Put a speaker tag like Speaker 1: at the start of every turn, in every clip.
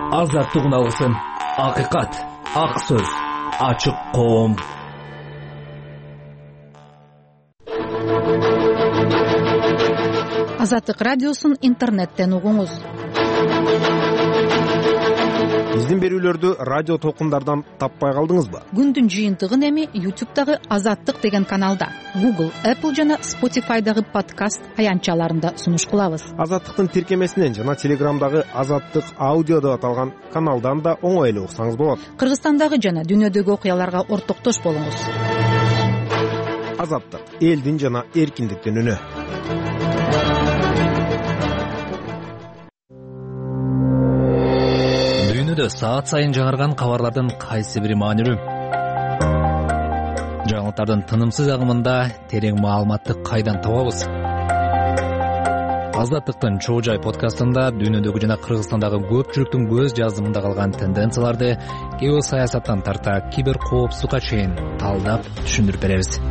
Speaker 1: Азаттык уналгысын, акыйкат, ак сөз, ачык коом.
Speaker 2: Азаттык радиосун интернеттен угуңуз.
Speaker 3: Биздин берүүлөрдү радио толкундардан таппай калдыңызбы?
Speaker 2: Күндүн жыйынтыгын эми YouTube'дагы Азаттык деген каналда, Google, Apple жана Spotify'дагы подкаст аянтчаларында сунуш кылабыз.
Speaker 3: Азаттыктын тиркемесинен жана Телеграмдагы Азаттык аудио деп аталган каналдан да оңой эле уксаңыз болот.
Speaker 2: Кыргызстандагы жана дүйнөдөгү окуяларга ортоктош болуңуз.
Speaker 3: Азаттык — элдин жана эркиндиктин үнү.
Speaker 1: Саат сайын жаңырган кабарлардын кайсы бири маанилүү? Жаңылыктардын тынымсыз агымында терең маалыматты кайдан табабыз? Азаттыктын чоо жай подкастында дүйнөдөгү жана Кыргызстандагы көпчүлүктүн көз жазымында калган тенденцияларды геосаясаттан тарта кибер коопсуздукка чейин талдап түшүндүрүп беребиз.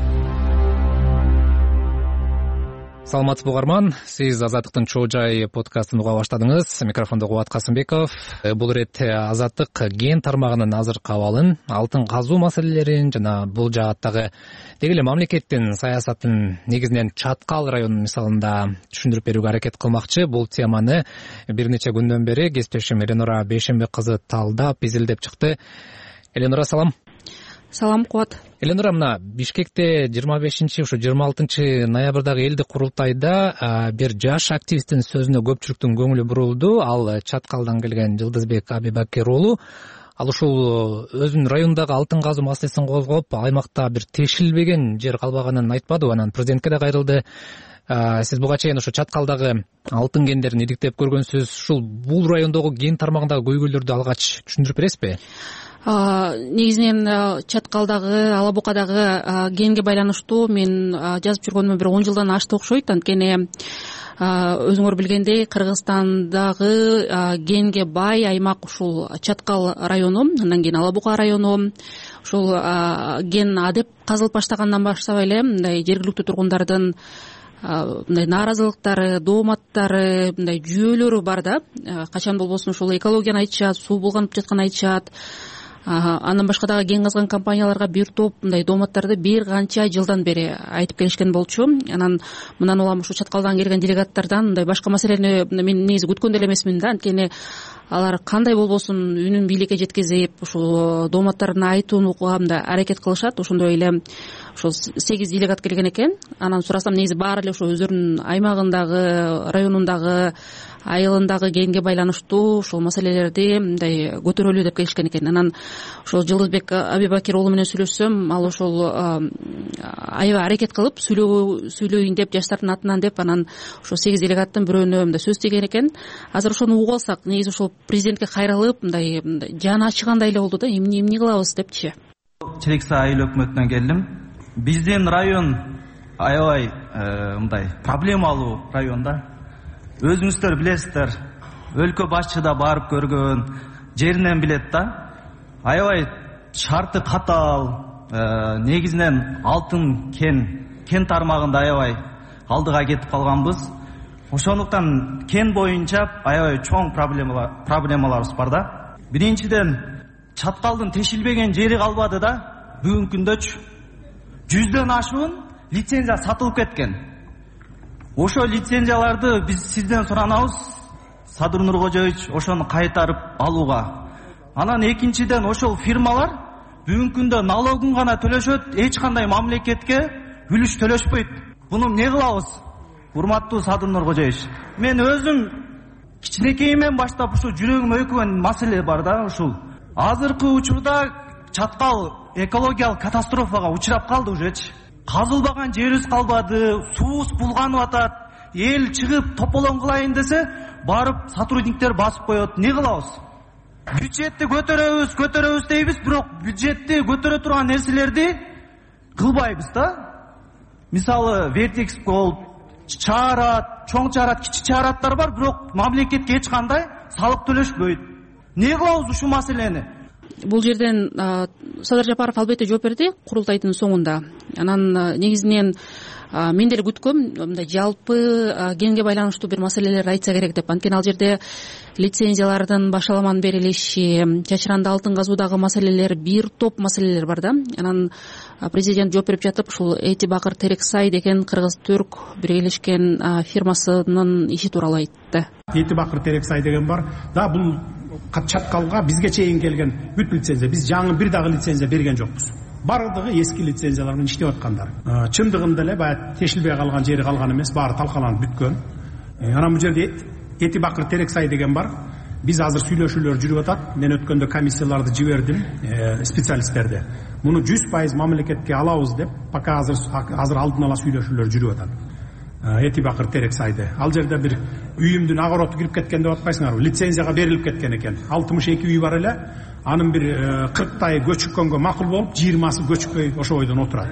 Speaker 1: Саламатсызбы угарман, сиз Азаттыктын чоо жай подкастын уга баштадыңыз. Микрофондо Кубат Касымбеков. Бул ирет Азаттык ген тармагынын азыркы абалын, алтын казуу маселелерин жана бул жааттагы деги эле мамлекеттин саясатын негизинен Чаткал районунун мисалында түшүндүрүп берүүгө аракет кылмакчы. Бул теманы бир нече күндөн бери кесиптешим Эленора Бейшенбек кызы талдап, изилдеп чыкты. Эленора, салам.
Speaker 4: Салам, Кубат.
Speaker 1: Эленора, мына Бишкекте 25-26 ноябрдагы элдик курултайда бир жаш активисттин сөзүнө көпчүлүктүн көңүлү бурулду. Ал Чаткалдан келген Жылдызбек Абибакир уулу. Ал ушул өзүнүн райондагы алтын казуу маселесин козгоп, аймакта бир тешилбеген жер калбаганын айтпады, анан президентке да кайрылды. Сиз буга чейин ошо Чаткалдагы алтын кендерин идиктеп көргөнсүз. Ушул бул райондогу ген тармагындагы көйгөйлөрдү алгач түшүндүрүп бересизби?
Speaker 4: Негизинен Чаткалдагы, Ала Букадагы генге байланыштуу мен жазып жүргөнүмө бир 10 жылдан ашты окшойт. Анткени өзүңөр билгендей Кыргызстандагы генге бай аймак ушул Чаткал району, андан кийин Ала Бука району. Ушул ген адеп казылып баштагандан баштап эле мындай жергиликтүү тургундардын мындай нааразылыктары, дооматтары, мындай жүйөлөрү бар да. Качан болбосун ушул экологияны айтышат, суу булганып жатканын айтышат. Андан башка дагы ген казган компанияларга бир топ мындай дооматтарды бир канча жылдан бери айтып келишкен болчу. Анан мындан улам ушу Чаткалдан келген делегаттардан мындай башка маселени мен негизи күткөн деле эмесмин да. Анткени алар кандай болбосун үнүн бийликке жеткизип, ушул дооматтарын айтууга мындай аракет кылышат. Ошондой эле ушул 8 делегат келген экен. Анан сурасам, негизи баары эле ошо өзүлөрүнүн аймагындагы, районундагы, айылындагы генге байланыштуу ушул маселелерди мындай көтөрөлү деп келишкен экен. Анан ошол Жылдызбек Абибакир уулу менен сүйлөшсөм, ал ошол аябай аракет кылып сүйлөйүн деп, жаштардын атынан деп, анан ошо 8 делегаттын бирөөнө мындай сөз тийген экен. Азыр ошону угуп алсак, негизи ошол президентке кайрылып, мындай жаны ачыгандай эле болду да, эмне кылабыз депчи.
Speaker 5: Чирекса айыл өкмөтүнөн келдим. Биздин район аябай мындай проблемалуу район да. Өзүңүздөр билесиздер, өлкө башчы да барып көргөн, жеринен билет да. Аябай шарты катаал, негизинен алтын кен тармагында аябай алдыга кетип калганбыз. Ошондуктан кен боюнча аябай чоң проблемаларыбыз бар да. Биринчиден, Чаткалдын тешилбеген жери калбады да. Бүгүнкү күндөчү 100дөн ашуун лицензия сатылып кеткен. Ошо лицензияларды биз сизден суранабыз, Садыр Нуркожоевич, ошону кайтарып алууга. Анан экинчиден, ошол фирмалар бүгүнкү күндө налогун гана төлөшөт, эч кандай мамлекетке үлүш төлөшпөйт. Буну эмне кылабыз? Урматтуу Садыр Нуркожоевич, мен өзүм кичинекейимден баштап ушу жүрөгүм өкүгөн маселе бар да. Ушул азыркы учурда Чаткал экологиялык катастрофага учурап калды ужечи. Казылбаган жерибиз калбады, суубуз булганып атат. Эл чыгып тополоң кылайын десе, барып сотрудниктер басып коет. Не кылабыз? Бюджетти көтөрөбүз дейбиз, бирок бюджетти көтөрө турган нерселерди кылбайбыз да. Мисалы, Вертекс болуп, чаарат, чоң чаарат, кичи чаараттар бар, бирок мамлекетке эч кандай салык төлөшпөйт. Не кылабыз ушул маселени?
Speaker 4: Бул жерден Садыр Жапаров албетте жооп берди курултайдын соңунда. Анан негизинен мен деле күткөм мындай жалпы генге байланыштуу бир маселелерди айтса керек деп. Анткени ал жерде лицензиялардын башаламан берилиши, чачыранды алтын казуудагы маселелер, бир топ маселелер бар да. Анан президент жооп берип жатып ушул Эти Бакыр Терексай деген кыргыз-түрк биргелешкен фирмасынын иши тууралуу айтты.
Speaker 6: Эти Бакыр Терексай деген бар да, бул чаткалга бизге чейин келген бүт лицензия. Биз жаңы бир дагы лицензия берген жокпуз. Бардыгы эски лицензиялар менен иштеп аткандар. Чындыгында эле баягы тешилбей калган жери калган эмес, баары талкаланып бүткөн. Анан бул жерде Эти Бакыр Терексай деген бар. Биз азыр сүйлөшүүлөр жүрүп атат. Мен өткөндө комиссияларды жибердим, специалисттерди. Муну 100% мамлекетке алабыз деп, пока азыр алдын ала сүйлөшүүлөр жүрүп атат. Эти Бакыр Терексайды. Ал жерде бир үйүмдүн огороту кирип кеткен деп атпайсыңарбы? Лицензияга берилип кеткен экен. 62 үй бар эле. Анын бир 40 көчүккөнгө макул болуп, 20сы көчүкпөй ошо бойдон отурат.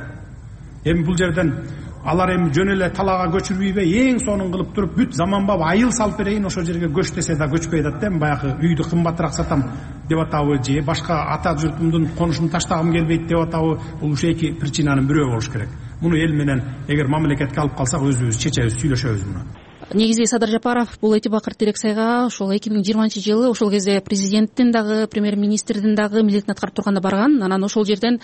Speaker 6: Эми бул жерден алар эми жөн эле талаага көчүрбөйбү, эң сонун кылып туруп бүт заманбап айыл салып берейин, ошо жерге көч десе да көчпөй атат да. Баягы үйдү кымбатыраак сатам деп атабы, же башка ата журтумдун конушун таштагым келбейт деп атабы, бул ушу эки причинанын бирөө болуш керек. Муну эл менен эгер мамлекетке алып калсак өзүбүз чечебиз, сүйлөшөбүз муну.
Speaker 4: Негизи Садыр Жапаров бул Эти Бакыр Терексайга ошол 2020-жылы ошол кезде президенттин дагы, премьер-министрдин дагы милдетин аткарып турганда барган. Анан ошол жерден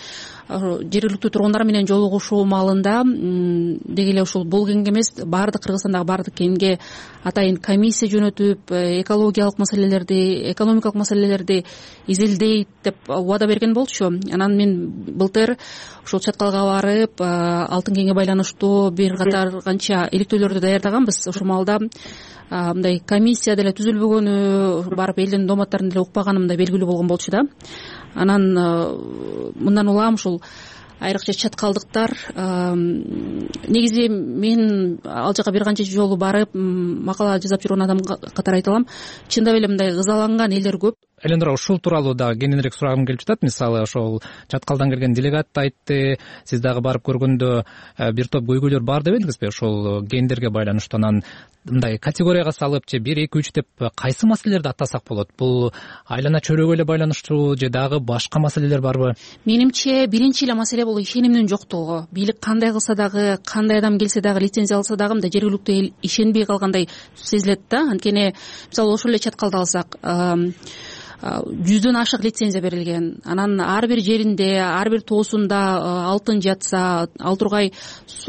Speaker 4: жергиликтүү тургундар менен жолугушуу маалында деги эле ушул бул генге эмес, баардык Кыргызстандагы баардык генге атайын комиссия жөнөтүп, экологиялык маселелерди, экономикалык маселелерди изилдейт деп убада берген болчу. Анан мен былтыр ушул чаткалга барып, алтын генге байланыштуу бир катар канча иликтөөлөрдү даярдаганбыз. Ошол маалда мындай комиссия деле түзүлбөгөнү, барып элдин дооматтарын деле укпаганым да белгилүү болгон болчу да. Анан мындан улам ушул айрыкча чаткалдыктар, негизи мен ал жака бир канча жолу барып макала жазап жүргөн адам катары айта алам, чындап эле мындай ызаланган элдер көп.
Speaker 1: Элендура, ушул тууралуу дагы кененирээк сурагым келип жатат. Мисалы ошол чаткалдан келген делегат айтты, сиз дагы барып көргөндө бир топ көйгөйлөр бар деп элеңизби ошол гендерге байланыштуу? Анан мындай категорияга салып, же 1, 2, 3 деп кайсы маселелерди аттасак болот? Бул айлана чөйрөгө эле байланыштуу же дагы башка маселелер барбы?
Speaker 4: Менимче биринчи эле маселе бул ишенимдин жоктугу. Бийлик кандай кылса дагы, кандай адам келсе дагы, лицензия алса дагы мындай жергиликтүү эл ишенбей калгандай сезилет да. Анткени мисалы ошол эле чаткалды алсак, 100дөн ашык лицензия берилген. Анан ар бир жеринде, ар бир тоосунда алтын жатса, ал тургай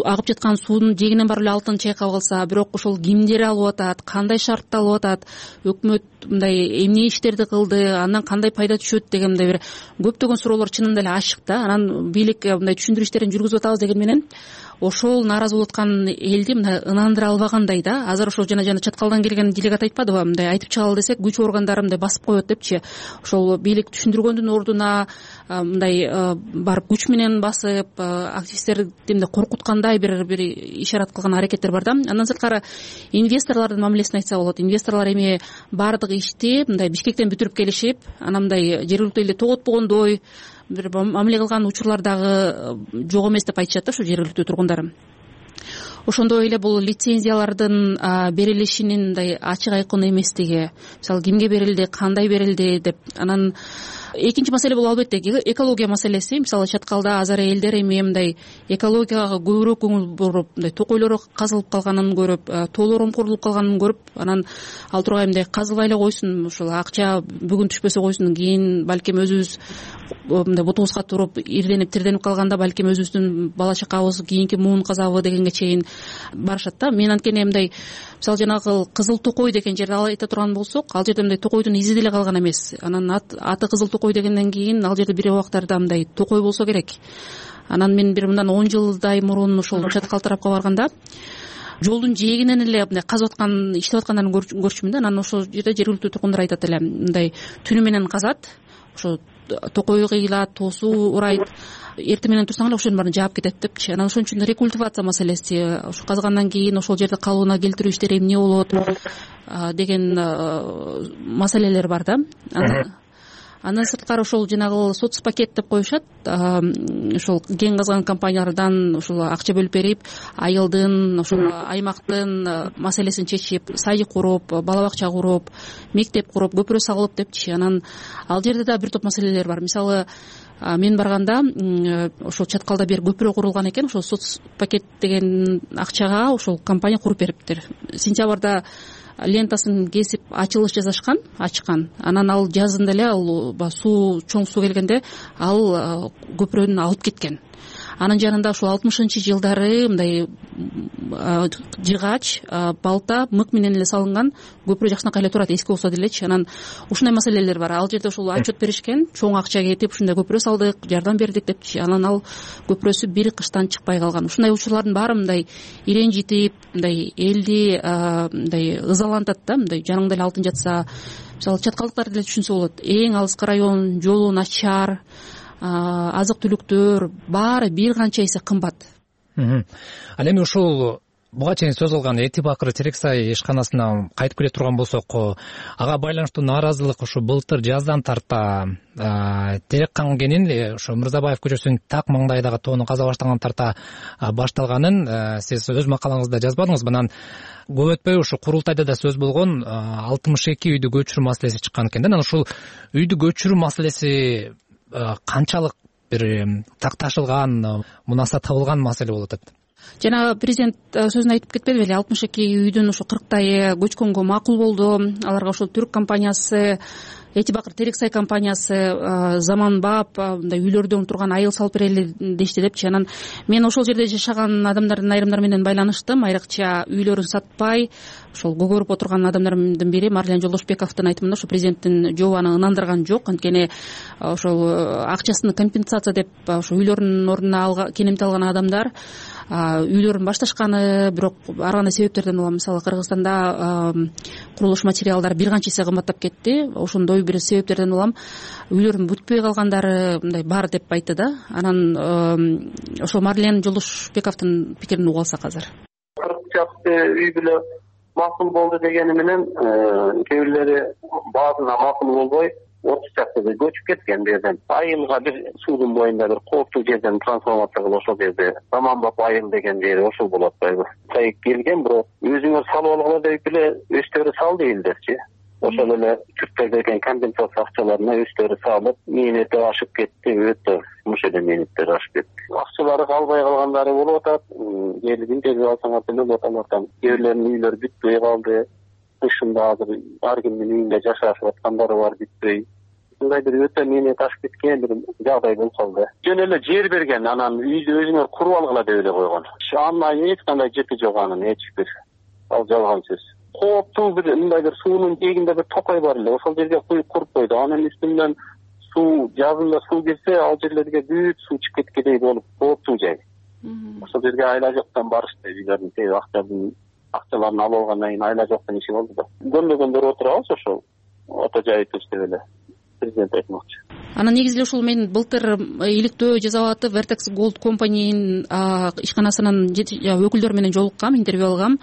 Speaker 4: агып жаткан суунун жээгинен барып эле алтын чайкап алса, бирок ошол кимдер алып атат, кандай шартта алып атат, өкмөт мындай эмне иштерди кылды, андан кандай пайда түшөт деген мындай бир көптөгөн суроолор чынында эле ачык да. Анан бийлик мындай түшүндүрүү иштерин жүргүзүп атабыз деген менен ошол нааразы болуп аткан элди мындай ынандыра албагандай да. Азыр ошол жана чаткалдан келген делегат айтпадыбы, мындай айтып чыгалы десек күч органдары мындай басып коет депчи. Ошол бийлик түшүндүргөндүн ордуна мындай барып күч менен басып, активисттерди мындай коркуткандай бир ишарат кылган аракеттер бар да. Андан сырткары инвесторлордун мамилесин айтса болот. Инвесторлор эми баардык ишти мындай Бишкектен бүтүрүп келишип, анан мындай жергиликтүү элди тоготпогондой бир мамиле кылган учурлар дагы жок эмес деп айтышат да ушу жергиликтүү тургундар. Ошондой эле бул лицензиялардын берилишинин мындай ачык айкын эместиги, мисалы кимге берилди, кандай берилди деп. Анан экинчи маселе бул албетте экология маселеси. Мисалы чаткалда азыр элдер эми мындай экологияга көбүрөөк көңүл буруп, мындай токойлор казылып калганын көрүп, тоолор омкорулуп калганын көрүп, анан ал тургай мындай казылбай эле койсун, ушул акча бүгүн түшпөсө койсун, кийин балким өзүбүз мындай бутубузга туруп ирденип тирденип калганда балким өзүбүздүн бала чакабыз кийинки муун казабы дегенге чейин барышат да. Мен анткени мындай мисалы жанагы Кызыл Токой деген жерди айта турган болсок, ал жерде мындай токойдун изи деле калган эмес. Анан аты Кызыл Токой дегенден кийин ал жерде бир убактарда мындай токой болсо керек. Анан мен бир мындан 10 жылдай мурун ошол чаткал тарапка барганда жолдун жээгинен эле мындай казып аткан, иштеп аткандарын көрчүмүн да. Анан ошол жерде жергиликтүү тургундар айтат эле, мындай түнү менен казат, ошо токой кыйылат, тоосу урайт, эртең менен турсаң эле ошол жердин баарын жаап кетет депчи. Анан ошон үчүн рекультивация маселеси, ошо казгандан кийин ошол жерди калыбына келтирүү иштери эмне болот деген маселелер бар да. Андан сырткары ошол жанагы соцпакет деп коюшат, ошол кен казган компаниялардан ошол акча бөлүп берип, айылдын, ошол аймактын маселесин чечип, садик куруп, бала бакча куруп, мектеп куруп, көпүрө салып депчи. Анан ал жерде да бир топ маселелер бар. Мисалы мен барганда ошол чаткалда бир көпүрө курулган экен, ошол соц пакет деген акчага ошол компания куруп бериптир. Сентябрда лентасын кесип ачылыш ачкан. Анан ал жазында эле ал чоң суу келгенде ал көпүрөнү алып кеткен. Анын жанында ушул 60-жылдары мындай жыгач, балта, мык менен эле салынган көпүрө жакшынакай эле турат, эски болсо делечи. Анан ушундай маселелер бар. Ал жерде ушул отчет беришкен, чоң акча кетип ушундай көпүрө салдык, жардам бердик депчи. Анан ал көпүрөсү бир кыштан чыкпай калган. Ушундай учурлардын баары мындай иренжитип, мындай элди мындай ызалантат да, мындай жаныңда эле алтын жатса. Мисалы чаткалдыктар деле түшүнсө болот. Эң алыскы район, жолу начар, азык түлүктөр баары бир канча эсе кымбат.
Speaker 1: Ал эми ушул буга чейин сөз кылган Эти Бакыр терек сай ишканасына кайтып келе турган болсок, ага байланыштуу нааразылык ушу былтыр жаздан тарта терек кангенин ушу Мырзабаев көчөсүнүн так маңдайдагы тоону каза баштаган тарта башталганын сиз өз макалаңызда жазбадыңызбы? Анан көп өтпөй ушу курултайда да сөз болгон 62 үйдү көчүрүү маселеси чыккан экен да. Анан ушул үйдү көчүрүү маселеси канчалык бир такташылган, мунаса табылган маселе болуп атат?
Speaker 4: Жана президент сөзүн айтып кетпедиби эле, 62 үйдүн ушу 40тайы көчкөнгө макул болду. Аларга ошол түрк компаниясы, Эти Бакыр терек сай компаниясы заманбап мындай үйлөрдө турган айыл салып берели дешти депчи. Анан мен ошол жерде жашаган адамдардын айрымдары менен байланыштым. Айрыкча үйлөрүн сатпай ошол көгөрүп отурган адамдардын бири Марлен Жолдошбековдун айтымында ошо президенттин жообу ынандырган жок. Анткени ошол акчасын компенсация деп ошо үйлөрүнүн ордуна кенемти алган адамдар үйлөрүн башташканы, бирок ар кандай себептерден улам, мисалы Кыргызстанда курулуш материалдары бир канча эсе кымбаттап кетти. Ошондой бир себептерден улам үйлөрүн бүтпөй калгандары мындай бар деп айтты да. Анан ошол Марлен Жолдошбековдун пикирин угуп алсак азыр.
Speaker 7: 40 чакты үй бүлө макул болду дегени менен кээ бирлери баазына макул болбой 30 чактыга көчүп кеткен жерден. Айылга бир суудун боюнда бир кооптуу жерден трансформация кылып ошол жерде заманбап айыл деген жери ошол болуп атпайбы? Сайып келген, бирок өзүңөр салып алгыла деп эле өздөрү сал дейилдерчи. Ошол эле түрктөр деген компенсация акчаларына өздөрү салып, мээнети ашып кетти, өтө муш эле мээнеттер ашып кетти. Акчалары калбай калгандары болуп атат. Келгин деп алсаңар деле болот. Алардан кээ бирлеринин үйлөрү бүтпөй калды. Кышында азыр ар кимдин үйүндө жашашып аткандары бар, бүтпөй. Ушундай бир өтө мээнет ашып кеткен бир жагдай болуп калды. Жөн эле жер берген, анан үйдү өзүңөр куруп алгыла деп эле койгон. Андан эч кандай жыты жок, анын эч бир. Ал жалган сөз. Кооптуу бир мындай бир суунун жээгинде бир токой бар эле, ошол жерге куруп койду. Анын үстүнөн суу, жазында суу келсе, ал жерлерге бүт суу чыгып кеткендей болуп, кооптуу жай. Ошол жерге айла жоктон барышты, үйлөрдүн акчаларын алып алгандан кийин айла жоктон иши болду да. Көндөгөндөр отурабыз ошол ото жайытып деп эле президент айтмакчы.
Speaker 4: Анан негизи эле ушул мен былтыр иликтөө жасап атып Vertex Gold Company'нин ишканасынын өкүлдөрү менен жолуккам, интервью алгам.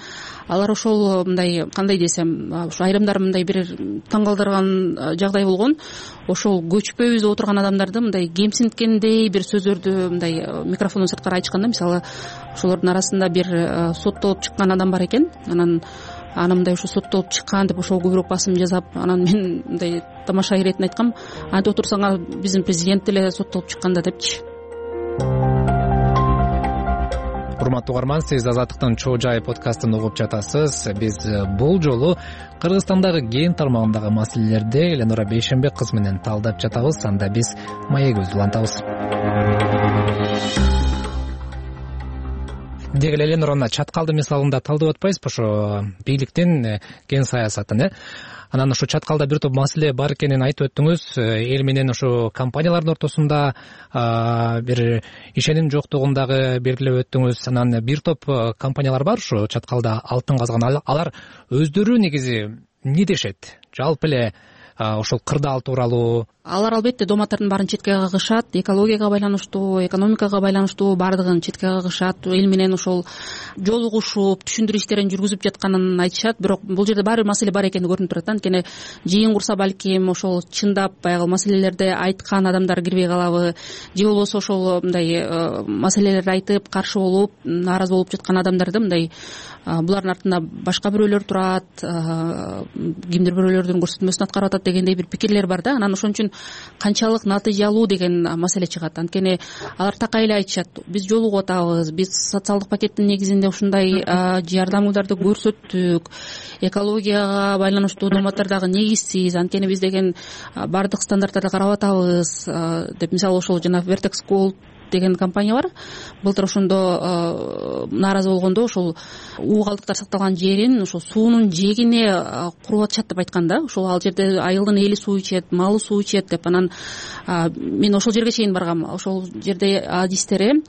Speaker 4: Алар ошол мындай, кандай десем, ушу айрымдар мындай бир таң калтырган жагдай болгон. Ошол көчпөйбүз деп отурган адамдарды мындай кемсинткендей бир сөздөрдү мындай микрофондон сырткары айтышканда, мисалы ошолордун арасында бир соттолуп чыккан адам бар экен. Анан мындай ушу соттолуп чыккан деп ошого көбүрөөк басым жасап, анан мен мындай тамаша иретин айткам, антип отурсаңар биздин президент деле соттолуп чыкканда депчи.
Speaker 1: Урматтуу угарман, сиз Азаттыктын Чоо Жай подкастын угуп жатасыз. Биз бул жолу Кыргызстандагы ген тармагындагы маселелерди Эленора Бейшенбек кызы менен талдап жатабыз. Анда биз маегибизди улантабыз. Деги эле Эленораны чаткалды мисалында талдап атпайсызбы? Ошо бийликтин ген саясатын, Анан ошо чаткалда бир топ маселе бар экенин айтып өттүңүз. Эл менен ошо компаниялардын ортосунда бир ишеним жоктугун дагы белгилеп өттүңүз. Анан бир топ компаниялар бар ошо чаткалда алтын казган. Алар өздөрү негизи эмне дешет? Жалпы эле ошол кырдаал тууралуу.
Speaker 4: Алар албетте дооматтардын баарын четке кагышат, экологияга байланыштуу, экономикага байланыштуу баардыгын четке кагышат. Эл менен ошол жолугушуп, түшүндүрүү иштерин жүргүзүп жатканын айтышат. Бирок бул жерде баары бир маселе бар экени көрүнүп турат. Анткени жыйын курса балким ошол чындап баягы маселелерди айткан адамдар кирбей калабы, же болбосо ошол мындай маселелерди айтып, каршы болуп, нааразы болуп жаткан адамдарды мындай булардын артында башка бирөөлөр турат, кимдир бирөөлөрдүн көрсөтмөсүн аткарып атат дегендей бир пикирлер бар да. Анан ошон үчүн канчалык натыйжалуу деген маселе чыгат. Анткени алар такай эле айтышат, биз жолугуп атабыз, биз социалдык пакеттин негизинде ушундай жардамдарды көрсөттүк, экологияга байланыштуу дооматтар дагы негизсиз, анткени биз деген баардык стандарттарды карап атабыз деп. Мисалы ошол жана Vertex Gold деген компания бар. Былтыр ошондо нааразы болгондо ошол уу калдыктар сакталган жерин ошол суунун жээгине куруп атышат деп айткан да. Ошол ал жерде айылдын эли суу ичет, малы суу ичет деп. Анан мен ошол жерге чейин баргам. Ошол жерде адистери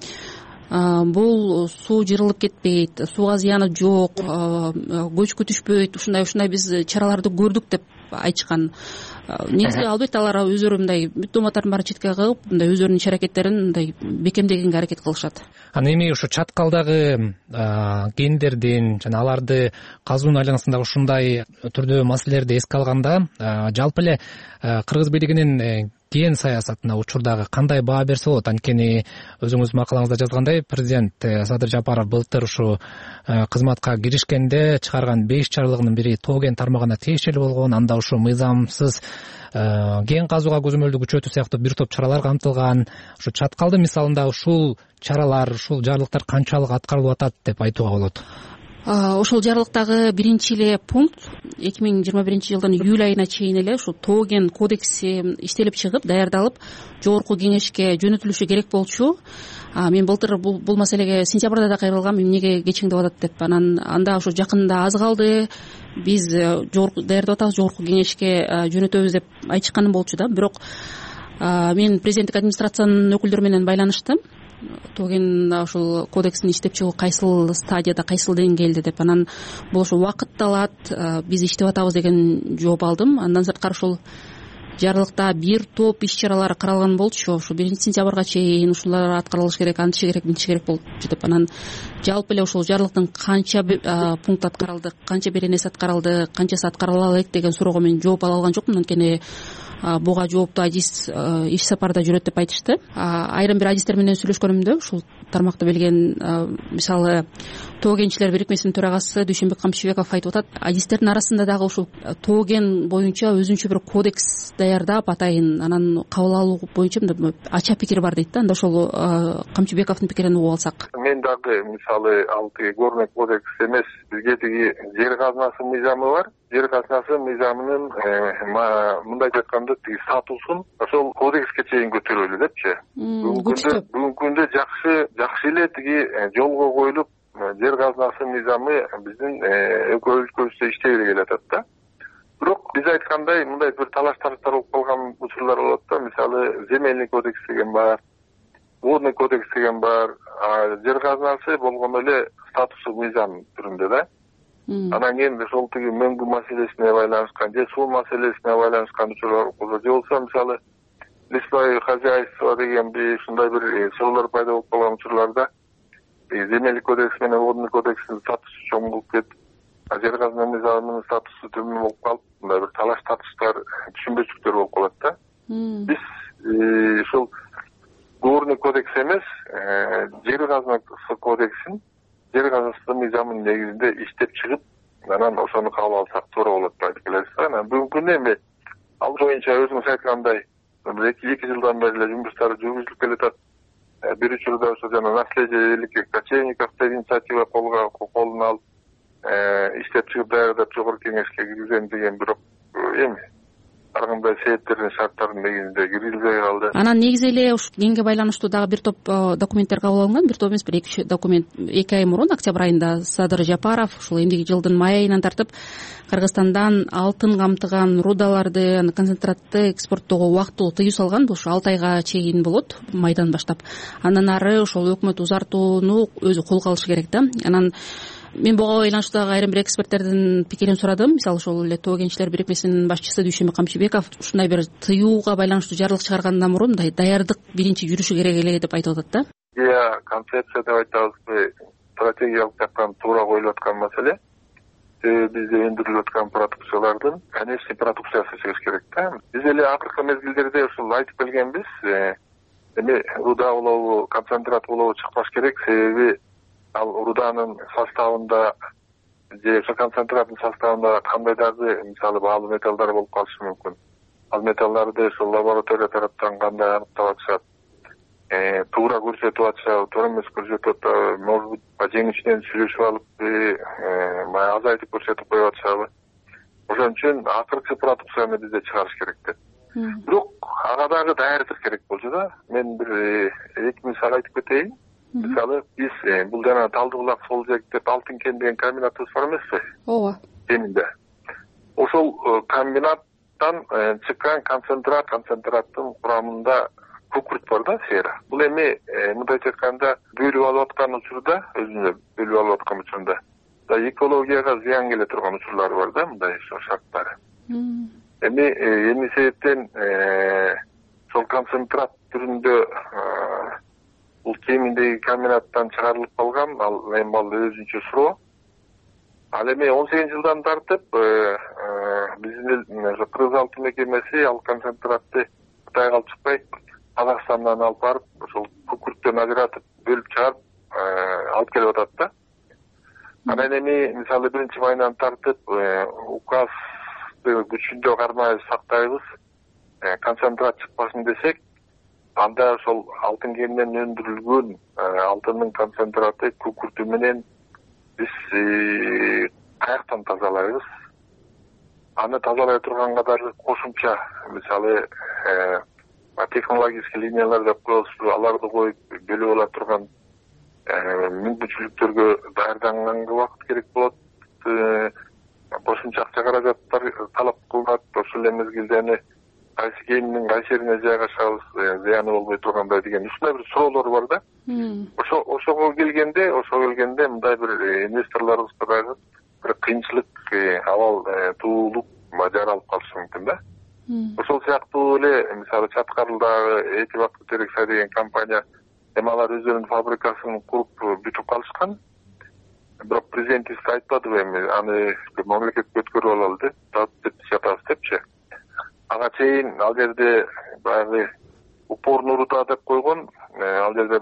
Speaker 4: бул суу жырылып кетпейт, сууга зыяны жок, көчкү түшпөйт, ушундай биз чараларды көрдүк деп айтышкан. Негизи албетте алар өздөрү мындай бүт дооматтардын баарын четке кагып, мындай өздөрүнүн иш аракеттерин мындай бекемдегенге аракет кылышат.
Speaker 1: Анан эми ушу чаткалдагы гендердин жана аларды казуунун айланасындагы ушундай түрдө маселелерди эске алганда, жалпы эле Кыргыз бийлигинин ген саясатына учурдагы кандай баа берсе болот? Анткени өзүңүз макалаңызда жазгандай, президент Садыр Жапаров былтыр ушу кызматка киришкенде чыгарган 5 чаралыгынын бири тоо кен тармагына тиешелүү болгон. Анда ушу мыйзамсыз ген казууга көзөмөлдү күчөтүү сыяктуу бир топ чаралар камтылган. Ушу чаткалдын мисалында ушул чаралар, ушул жарлыктар канчалык аткарылып атат деп айтууга болот?
Speaker 4: Ошол жарлыктагы биринчи эле пункт 2021-жылдын июль айына чейин эле ушул тоо кен кодекси иштелип чыгып, даярдалып, жогорку кеңешке жөнөтүлүшү керек болчу. Мен былтыр бул маселеге сентябрда да кайрылгам, эмнеге кечиңдеп атат деп. Анан анда ушу жакында аз калды, биз даярдап атабыз, жогорку кеңешке жөнөтөбүз деп айтышканым болчу да. Бирок мен президенттик администрациянын өкүлдөрү менен байланыштым. Тоо кен ушул кодекстин иштеп чыгуу кайсыл стадияда, кайсыл деңгээлде деп. Анан бул ошо убакытты алат, биз иштеп атабыз деген жооп алдым. Андан сырткары ушул жарлыкта бир топ иш чаралар каралган болчу. Ушу 1-сентябрга чейин ушулар аткарылышы керек, антише керек, мынтише керек болчу деп. Анан жалпы эле ушул жарлыктын канча пункт аткарылды, канча беренеси аткарылды, канчасы аткарыла элек деген суроого мен жооп ала алган жокмун. Анткени буга жооптуу адис иш сапарда жүрөт деп айтышты. Айрым бир адистер менен сүйлөшкөнүмдө ушул тармакты билген, мисалы тоо кенчилер бирикмесинин төрагасы Дүйшөнбек Камчыбеков айтып атат, адистердин арасында дагы ушул тоо кен боюнча өзүнчө бир кодекс даярдап атайын, анан кабыл алуу боюнча мындай ача пикир бар дейт да. Анда ошол Камчыбековдун пикирин угуп алсак.
Speaker 8: Мен дагы мисалы ал тиги горный кодекс эмес, бизге тиги жер казынасы мыйзамы бар. Жер казынасы мыйзамынын мындайча айтканда тиги статусун ошол кодекске чейин көтөрөлү депчи. Бүгүнкү күндө жакшы эле тиги жолго коюлуп жер казынасы мыйзамы биздин өлкөбүздө иштей келатат да. Бирок биз айткандай мындай бир талаш тартыштар болуп калган учурлар болот да. Мисалы земельный кодекс деген бар, водный кодекс деген бар. Жер казынасы болгондо эле статусу мыйзам түрүндө да. Анан кийин ошол тиги мөңгү маселесине байланышкан же суу маселесине байланышкан учурлар болсо, же болбосо мисалы лесное хозяйство деген ушундай бир суроолор пайда болуп калган учурларда земельный кодекс менен водный кодекстин статусу чоң болуп кетип, жер казына мыйзамынын статусу төмөн болуп калып, мындай бир талаш тартыштар, түшүнбөчүлүктөр болуп калат да. Биз ушул горный кодекс эмес, жер казынасы кодексин, жер казынасы мыйзамынын негизинде иштеп чыгып, анан ошону кабыл алсак туура болот деп айтып келебиз да. Анан бүгүнкү күндө эми ал боюнча өзүңүз айткандай 2 жылдан бери эле жумуштар жүргүзүлүп келатат. Бир учурда ошо жана наследие великих кочевников деген инициатива колуна алып иштеп чыгып даярдап жогорку кеңешке киргизем деген, бирок эми ар кандай себептердин шарттардын негизинде киргизилбей калды.
Speaker 4: Анан негизи эле ушу генге байланыштуу дагы бир топ документтер кабыл алынган. Бир топ эмес, бир 2 документ 2 ай мурун, октябрь айында Садыр Жапаров ушул эмдиги жылдын май айынан тартып Кыргызстандан алтын камтыган рудаларды, концентратты экспорттоого убактылуу тыюу салган. Бул ушу 6 айга чейин болот, майдан баштап. Андан ары ошол өкмөт узартууну өзү колго алышы керек да. Анан мен буга байланыштуу дагы айрым бир эксперттердин пикирин сурадым. Мисалы ошол эле тоо кенчилер бирикмесинин башчысы Дүйшөнбек Камчыбеков ушундай бир тыюуга байланыштуу жарлык чыгаргандан мурун мындай даярдык биринчи жүрүшү керек эле деп айтып атат да.
Speaker 8: Концепция деп айтабызбы, стратегиялык жактан туура коюлуп аткан маселе. Бизде өндүрүлүп аткан продукциялардын конечный продукциясы чыгыш керек да. Биз эле акыркы мезгилдерде ушул айтып келгенбиз, эми руда улову, концентрат улову чыкпаш керек, себеби ал руданын составында же ошо концентраттын составында кандай дагы мисалы баалуу металлдар болуп калышы мүмкүн. ал металларды ошол лаборатория тараптан кандай аныктап атышат, туура көрсөтүп атышабы, туура эмес көрсөтүп атабы, может быть жең ичинен сүйлөшүп алып баягы азайтып көрсөтүп коюп атышабы. Ошон үчүн акыркы продукцияны бизде чыгарыш керек деп. Бирок ага дагы даярдык керек болчу да. Мен бир 2 мисал айтып кетейин. Мисалы биз бул жана Талды булак сол жек деп Алтын кен деген комбинатыбыз бар эмеспи?
Speaker 4: ооба.
Speaker 8: Кеминде. Ошол комбинаттан чыккан концентраттын курамында күкүрт бар да, сера. Бул эми мындайча айтканда бөлүп алып аткан учурда, өзүнө бөлүп алып аткан учурда экологияга зыян келе турган учурлары бар да, мындай шарттары. Эми себептен сол концентрат түрүндө бул кеминдеги комбинаттан чыгарылып калган, ал эми өзүнчө суроо. Ал эми 18 жылдан тартып биздин Кыргыз алтын мекемеси ал концентратты Кытайга алып чыкпай, Казакстандан алып барып, ошол күкүрттөн ажыратып, бөлүп чыгарып алып келип атат да. Анан эми мисалы 1-майынан тартып указды күчүндө кармай сактайбыз, концентрат чыкпасын десек, анда ошол алтын кенинен өндүрүлгөн алтындын концентраты күкүртү менен биз каяктан тазалайбыз? Аны тазалай турган катары кошумча, мисалы технологический линиялар деп коебузбу, аларды коюп бөлүп ала турган мүмкүнчүлүктөргө даярданганга убакыт керек болот. Кошумча акча каражаттар талап кылынат. Ошол эле мезгилде кайсы кеминин кайсы жерине жайгашабыз, зыяны болбой тургандай деген ушундай бир суроолор бар да. Ошого келгенде мындай бир инвесторлорубузга дагы бир кыйынчылык, абал туулуп жаралып калышы мүмкүн да. Ошол сыяктуу эле мисалы Чаткарылдагы Эки Бакыт Терексай деген компания алар өздөрүнүн фабрикасын куруп бүтүп калышкан. Бирок президентибиз айтпадыбы эми аны мамлекетке өткөрүп алалы деп жатабыз депчи. Ага чейин ал жерде баягы упор нурута деп койгон, ал жерде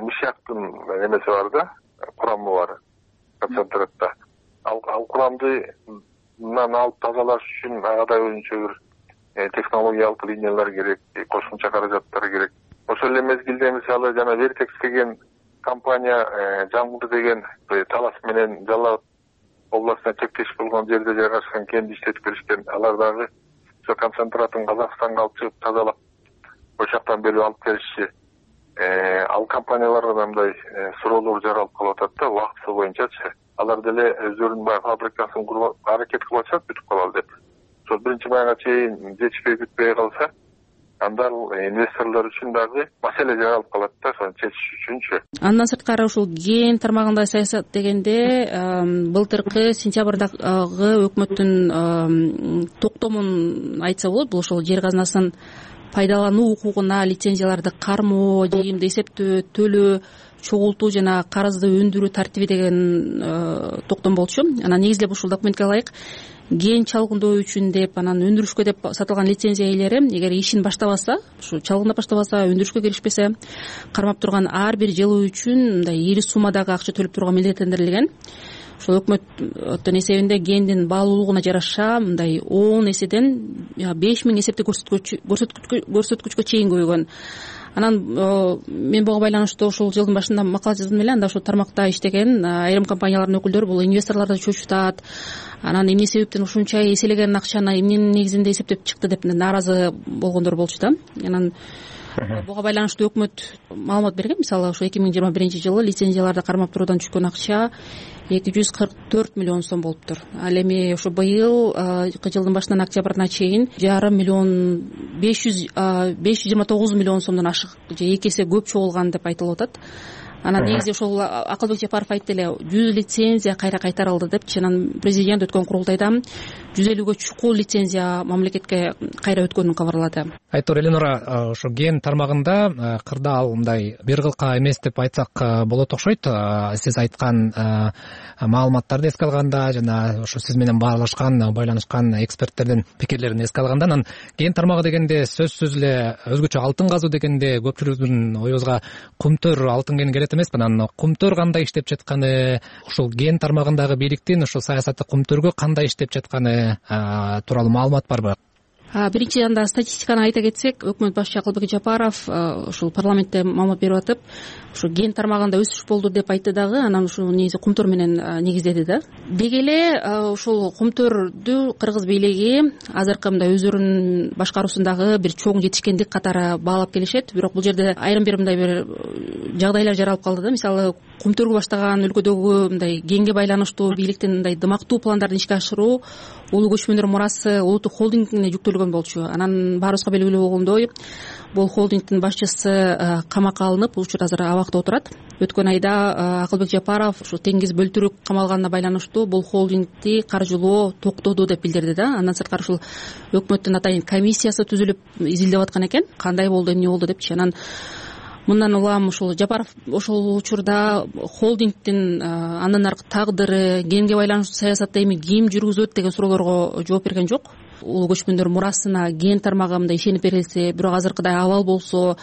Speaker 8: мышьяктын эмеси бар да, курамы бар концентратта. Ал курамдынан алып тазалаш үчүн ага да өзүнчө бир технологиялык линиялар керек, кошумча каражаттар керек. Ошол эле мезгилде мисалы жана Вертекс деген компания Жаңгыл деген Талас менен Жалал Абад областына чектеш болгон жерде жайгашкан кенди иштетип беришкен. Алар дагы ошо концентратын Казакстанга алып чыгып тазалап ошол жактан бөлүп алып келишчи. Ал компанияларга да мындай суроолор жаралып калып атат да, убактысы боюнчачы. Алар деле өздөрүнүн баягы фабрикасын куруп аракет кылып атышат бүтүп калалы деп. Ошол 1-майга чейин жетишпей бүтпөй калса, анда инвесторлор үчүн дагы маселе жаралып калат да, ошону чечиш үчүнчү.
Speaker 4: Андан сырткары ушул кен тармагында саясат дегенде былтыркы сентябрдагы өкмөттүн токтомун айтса болот. Бул ошол жер казынасын пайдалануу укугуна лицензияларды кармоо, жыйымды эсептөө, төлөө, чогултуу жана карызды өндүрүү тартиби деген токтом болчу. Анан негизинен ушул документке ылайык кен чалгындоо үчүн деп, анан өндүрүшкө деп сатылган лицензия ээлери эгер ишин баштабаса, ушу чалгындап баштабаса, өндүрүшкө киришпесе, кармап турган ар бир жылы үчүн мындай ири суммадагы акча төлөп турууга милдеттендирилген. Ошол өкмөттүн эсебинде кендин баалуулугуна жараша мындай 10 эседен 5000 эсептик көрсөткүчкө чейин көбөйгөн. Анан мен буга байланыштуу ушул жылдын башында макала жаздым эле. Анда ошол тармакта иштеген айрым компаниялардын өкүлдөрү бул инвесторлорду чочутат. Анан эмне себептен ушунча эселеген акчаны эмненин негизинде эсептеп чыкты деп нааразы болгондор болчу да. Анан буга байланыштуу өкмөт маалымат берген. Мисалы ошо 2021-жылы лицензияларды кармап туруудан түшкөн акча 244 миллион сом болуптур. Ал эми ошо быйыл жылдын башынан октябрына чейин 529 миллион сомдон ашык же 2 эсе көп чогулган деп айтылып атат. Анан негизи ошол Акылбек Жапаров айтты эле, 100 лицензия кайра кайтарылды депчи. Анан президент өткөн курултайда 150гө чукул лицензия мамлекетке кайра өткөнүн кабарлады.
Speaker 1: Айтор Эленора, ошо кен тармагында кырдаал мындай бир кылка эмес деп айтсак болот окшойт. Сиз айткан маалыматтарды эске алганда жана ошо сиз менен байланышкан эксперттердин пикирлерин эске алганда, анан кен тармагы дегенде сөзсүз эле өзгөчө алтын казуу дегенде көпчүлүктүн оюбузга кумтөр алтын кени келет эмеспи? Анан кумтөр кандай иштеп жатканы, ушул кен тармагындагы бийликтин ошол саясаты кумтөргө кандай иштеп жатканы тууралуу маалымат барбы?
Speaker 4: Биринчи анда статистиканы айта кетсек, өкмөт башчы Акылбек Жапаров ушул парламентте маалымат берип атып, ушу ген тармагында өсүш болду деп айтты дагы, анан ушул негизи Кумтөр менен негиздеди да. Деги эле ушул Кумтөрдү кыргыз бийлиги азыркы мындай өздөрүнүн башкаруусундагы бир чоң жетишкендик катары баалап келишет. Бирок бул жерде айрым бир мындай бир жагдайлар жаралып калды да. Мисалы, Кумтөргө баштаган өлкөдөгү мындай генге байланыштуу бийликтин мындай дымактуу пландарын ишке ашыруу улуу көчмөндөр мурасы улуттук холдингине жүктөлгөн болчу. Анан баарыбызга белгилүү болгондой, бул холдингдин башчысы камакка алынып, бул учурда азыр абакта отурат. Өткөн айда Акылбек Жапаров ушу Теңиз Бөлтүрүк камалганына байланыштуу бул холдингди каржылоо токтоду деп билдирди да. Андан сырткары ушул өкмөттүн атайын комиссиясы түзүлүп изилдеп аткан экен. Кандай болду, эмне болду депчи. Анан мындан улам ушул Жапаров ошол учурда холдингдин андан аркы тагдыры, генге байланыштуу саясатты эми ким жүргүзөт деген суроолорго жооп берген жок. Улуу көчмөндөр мурасына ген тармагы мындай ишенип берилсе, бирок азыркыдай абал болсо,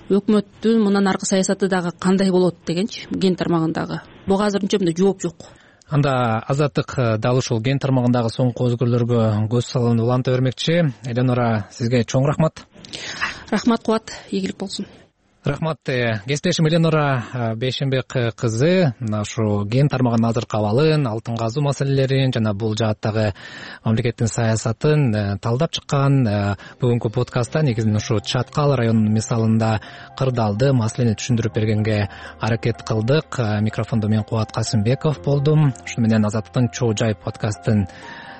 Speaker 4: өкмөттүн мындан аркы саясаты дагы кандай болот дегенчи, ген тармагындагы. Буга азырынча мындай жооп жок.
Speaker 1: Анда Азаттык дал ушул ген тармагындагы соңку өзгөрүүлөргө көз салууну уланта бермекчи. Эленора, сизге чоң рахмат.
Speaker 4: Рахмат Кубат, ийгилик болсун.
Speaker 1: Рахмат. Кесиптешим Эленора Бейшенбек кызы ушу ген тармагынын азыркы абалын, алтын казуу маселелерин жана бул жааттагы мамлекеттин саясатын талдап чыккан. Бүгүнкү подкастта негизинен ушу Чаткал районунун мисалында кырдаалды маселени түшүндүрүп бергенге аракет кылдык. Микрофондо мен Кубат Касымбеков болдум. Ушуну менен Азаттыктын Чоо Жай подкастын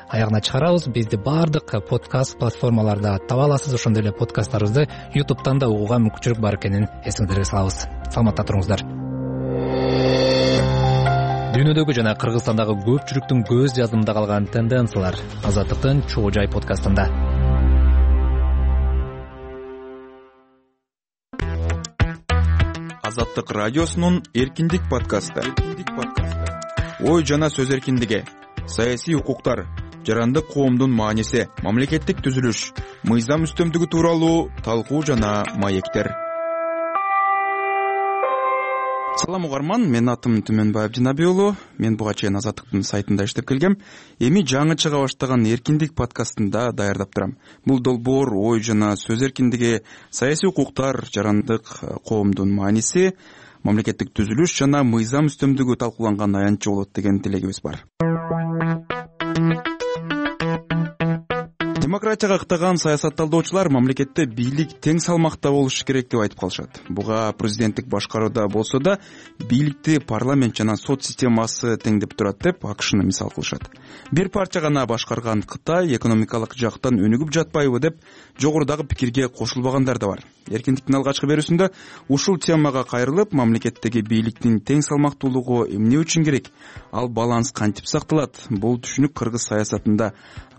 Speaker 1: аягына чыгарабыз. Бизди баардык подкаст платформаларда таба аласыз. Ошондой эле подкасттарыбызды YouTube'тан да угууга мүмкүнчүлүк бар экенин эсиңиздерге салабыз. Саламатта туруңуздар. Дүйнөдөгү жана Кыргызстандагы көпчүлүктүн көз жазымында калган тенденциялар Азаттыктын Чоо Жай подкастында.
Speaker 9: Азаттык радиосунун Эркиндик подкасты. Ой жана сөз эркиндиги, саясий укуктар, жарандык коомдун мааниси, мамлекеттик түзүлүш, мыйзам үстөмдүгү тууралуу талкуу жана маектер. Салам угарман, менин атым Түмөнбаев Жинаби уулу. Мен буга чейин Азаттыктын сайтында иштеп келгем. Эми жаңы чыга баштаган Эркиндик подкастында даярдап турам. Бул долбоор ой жана сөз эркиндиги, саясий укуктар, жарандык коомдун мааниси, мамлекеттик түзүлүш жана мыйзам үстөмдүгү талкууланган аянтчы болот деген тилегибиз бар. Демократияга ыктаган саясатталдоочулар мамлекетте бийлик тең салмакта болушу керек деп айтып калышат. Буга президенттик башкарууда болсо да бийликти парламент жана сот системасы теңдеп турат деп АКШны мисал кылышат. Бир парча гана башкарган Кытай экономикалык жактан өнүгүп жатпайбы деп жогорудагы пикирге кошулбагандар да бар. Эркиндиктин алгачкы берүүсүндө ушул темага кайрылып, мамлекеттеги бийликтин тең салмактуулугу эмне үчүн керек? Ал баланс кантип сакталат? Бул түшүнүк кыргыз саясатында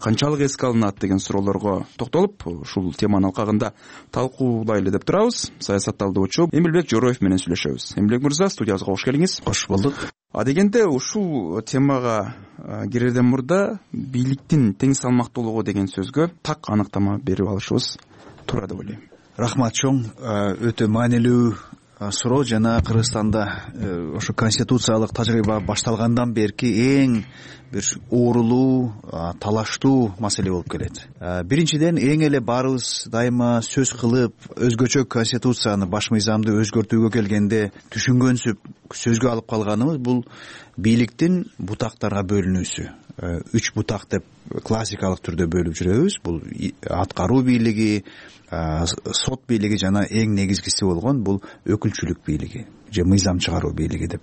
Speaker 9: канчалык эске алынат деген суроолорго токтолуп, ушул теманын алкагында талкуулайлы деп турабыз. Саясатталдоочу Эмилбек Жороев менен сүйлөшөбүз. Эмилбек мырза, студиябызга кош келиңиз.
Speaker 10: Кош болдук.
Speaker 9: Дегенде ушул темага кирерден мурда бийликтин тең салмактуулугу деген сөзгө так аныктама берип алышыбыз туура деп ойлойм.
Speaker 10: Рахмат чоң. Өтө маанилүү суроо жана Кыргызстанда ошо конституциялык тажрыйба башталгандан берки эң бир оорулуу, талаштуу маселе болуп келет. Биринчиден эң эле баарыбыз дайыма сөз кылып, өзгөчө конституцияны, баш мыйзамды өзгөртүүгө келгенде түшүнгөнсүп сөзгө алып калганыбыз бул бийликтин бутактарга бөлүнүүсү. 3 бутак деп классикалык түрдө бөлүп жүрөбүз. Бул аткаруу бийлиги, сот бийлиги жана эң негизгиси болгон бул өкүлчүлүк бийлиги же мыйзам чыгаруу бийлиги деп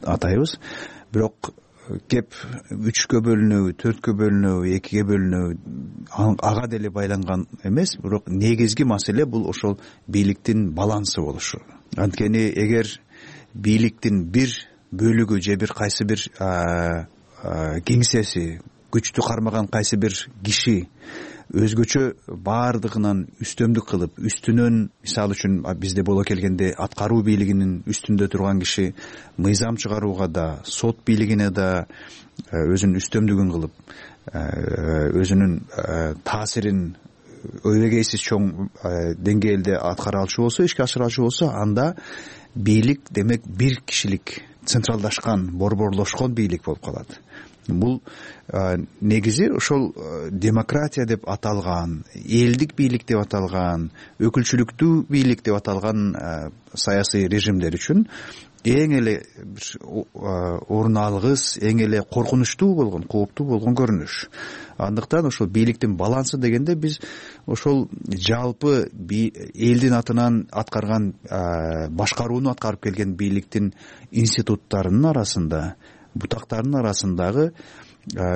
Speaker 10: атайбыз. Бирок кеп 3кө бөлүнүү, 4кө бөлүнүү, 2ге бөлүнүү ага деле байланган эмес, бирок негизги маселе бул ошол бийликтин балансы болушу. Анткени эгер бийликтин бир бөлүгү же бир кайсы бир кеңсеси, күчтү кармаган кайсы бир киши өзгөчө баардыгынан үстөмдүк кылып, үстүнөн, мисалы үчүн бизде боло келгенде аткаруу бийлигинин үстүндө турган киши мыйзам чыгарууга да, сот бийлигине да өзүнүн үстөмдүгүн кылып, өзүнүн таасирин өбөгейсиз чоң деңгээлде аткара алчу болсо, ишке ашыра алчу болсо, анда бийлик демек бир кишилик централдашкан, борборлошкон бийлик болуп калат. Бул негизи ошол демократия деп аталган, элдик бийлик деп аталган, өкүлчүлүктүү бийлик деп аталган саясий режимдер үчүн эң эле орун алгыс, эң эле коркунучтуу болгон, кооптуу болгон көрүнүш. Андыктан ошол бийликтин балансы дегенде биз ошол жалпы элдин атынан аткарган, башкарууну аткарып келген бийликтин институттарынын арасында, бутактарынын арасындагы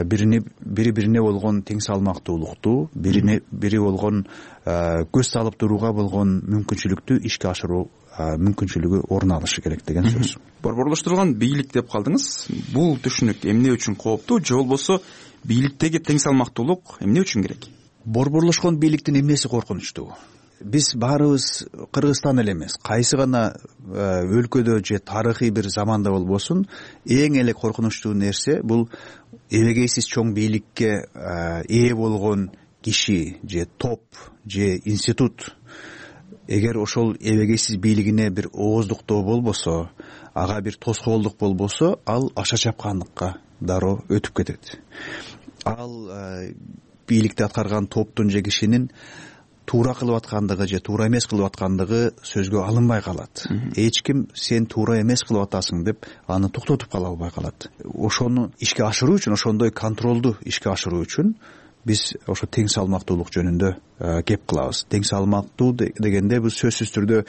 Speaker 10: бири бирине болгон тең салмактуулукту, бири болгон көз салып турууга болгон мүмкүнчүлүктү ишке ашыруу мүмкүнчүлүгү орун алышы керек деген сөз.
Speaker 9: Борборлоштурулган бийлик деп калдыңыз. Бул түшүнүк эмне үчүн кооптуу, же болбосо бийликтеги тең салмактуулук эмне үчүн керек?
Speaker 10: Борборлошкон бийликтин эмнеси коркунучтуу? Биз баарыбыз Кыргызстан эле эмес, кайсы гана өлкөдө же тарыхый бир заманда болбосун, эң эле коркунучтуу нерсе бул эбегейсиз чоң бийликке ээ болгон киши же топ же институт. Эгер ошол эбегейсиз бийлигине бир ооздуктоо болбосо, ага бир тоскоолдук болбосо, ал аша чапкандыкка дароо өтүп кетет. Ал бийликти аткарган топтун же кишинин туура кылып аткандыгы же туура эмес кылып аткандыгы сөзгө алынбай калат. Эч ким сен туура эмес кылып атасың деп аны токтотуп кала албай калат. Ошону ишке ашыруу үчүн, ошондой контролду ишке ашыруу үчүн биз ошо тең салмактуулук жөнүндө кеп кылабыз. Тең салмактуу дегенде бул сөзсүз түрдө,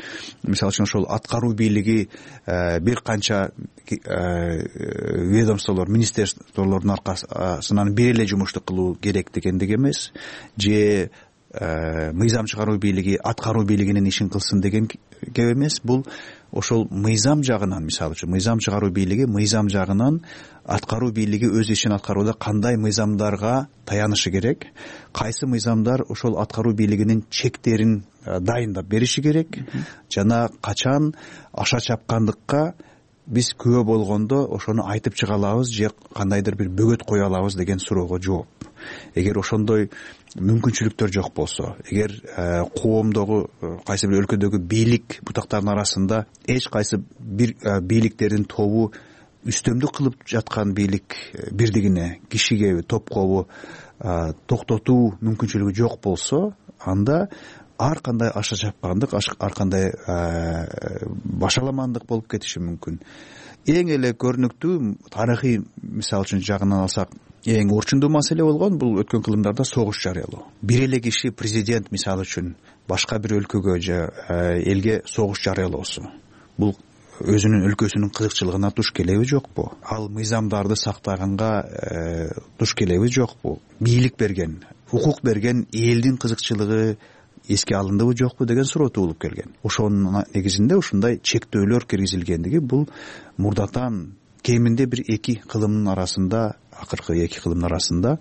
Speaker 10: мисалы үчүн ошол аткаруу бийлиги бир канча ведомстволор, министрликтерлордун аркасынан бир эле жумушту кылуу керек дегендик эмес, же мыйзам чыгаруу бийлиги аткаруу бийлигинин ишин кылсын деген кеп эмес. Бул ошол мыйзам жагынан, мисалы үчүн мыйзам чыгаруу бийлиги мыйзам жагынан аткаруу бийлиги өз ишин аткарууда кандай мыйзамдарга таянышы керек, кайсы мыйзамдар ошол аткаруу бийлигинин чектерин дайындап бериши керек, жана качан аша чапкандыкка биз күбө болгондо ошону айтып чыга алабыз же кандайдыр бир бөгөт кое алабыз деген суроого жооп. Эгер ошондой мүмкүнчүлүктөр жок болсо, эгер коомдогу кайсы бир өлкөдөгү бийлик бутактарынын арасында эч кайсы бир бийликтердин тобу үстөмдүк кылып жаткан бийлик бирдигине, кишиге, топкобу токтотуу мүмкүнчүлүгү жок болсо, анда ар кандай аша чапкандык, ар кандай башаламандык болуп кетиши мүмкүн. Эң эле көрүнүктүү тарыхый мисал үчүн жагынан алсак, эң орчундуу маселе болгон бул өткөн кылымдарда согуш жарыялоо. Бир эле киши, президент мисалы үчүн башка бир өлкөгө же элге согуш жарыялоосу, бул өзүнүн өлкөсүнүн кызыкчылыгына туш келеби жокпу? Ал мыйзамдарды сактаганга туш келеби жокпу? Бийлик берген, укук берген элдин кызыкчылыгы эске алындыбы жокпу деген суроо туулуп келген. Ошонун негизинде ушундай чектөөлөр киргизилгендиги бул мурдатан кеминде бир эки кылымдын арасында, акыркы эки кылымдын арасында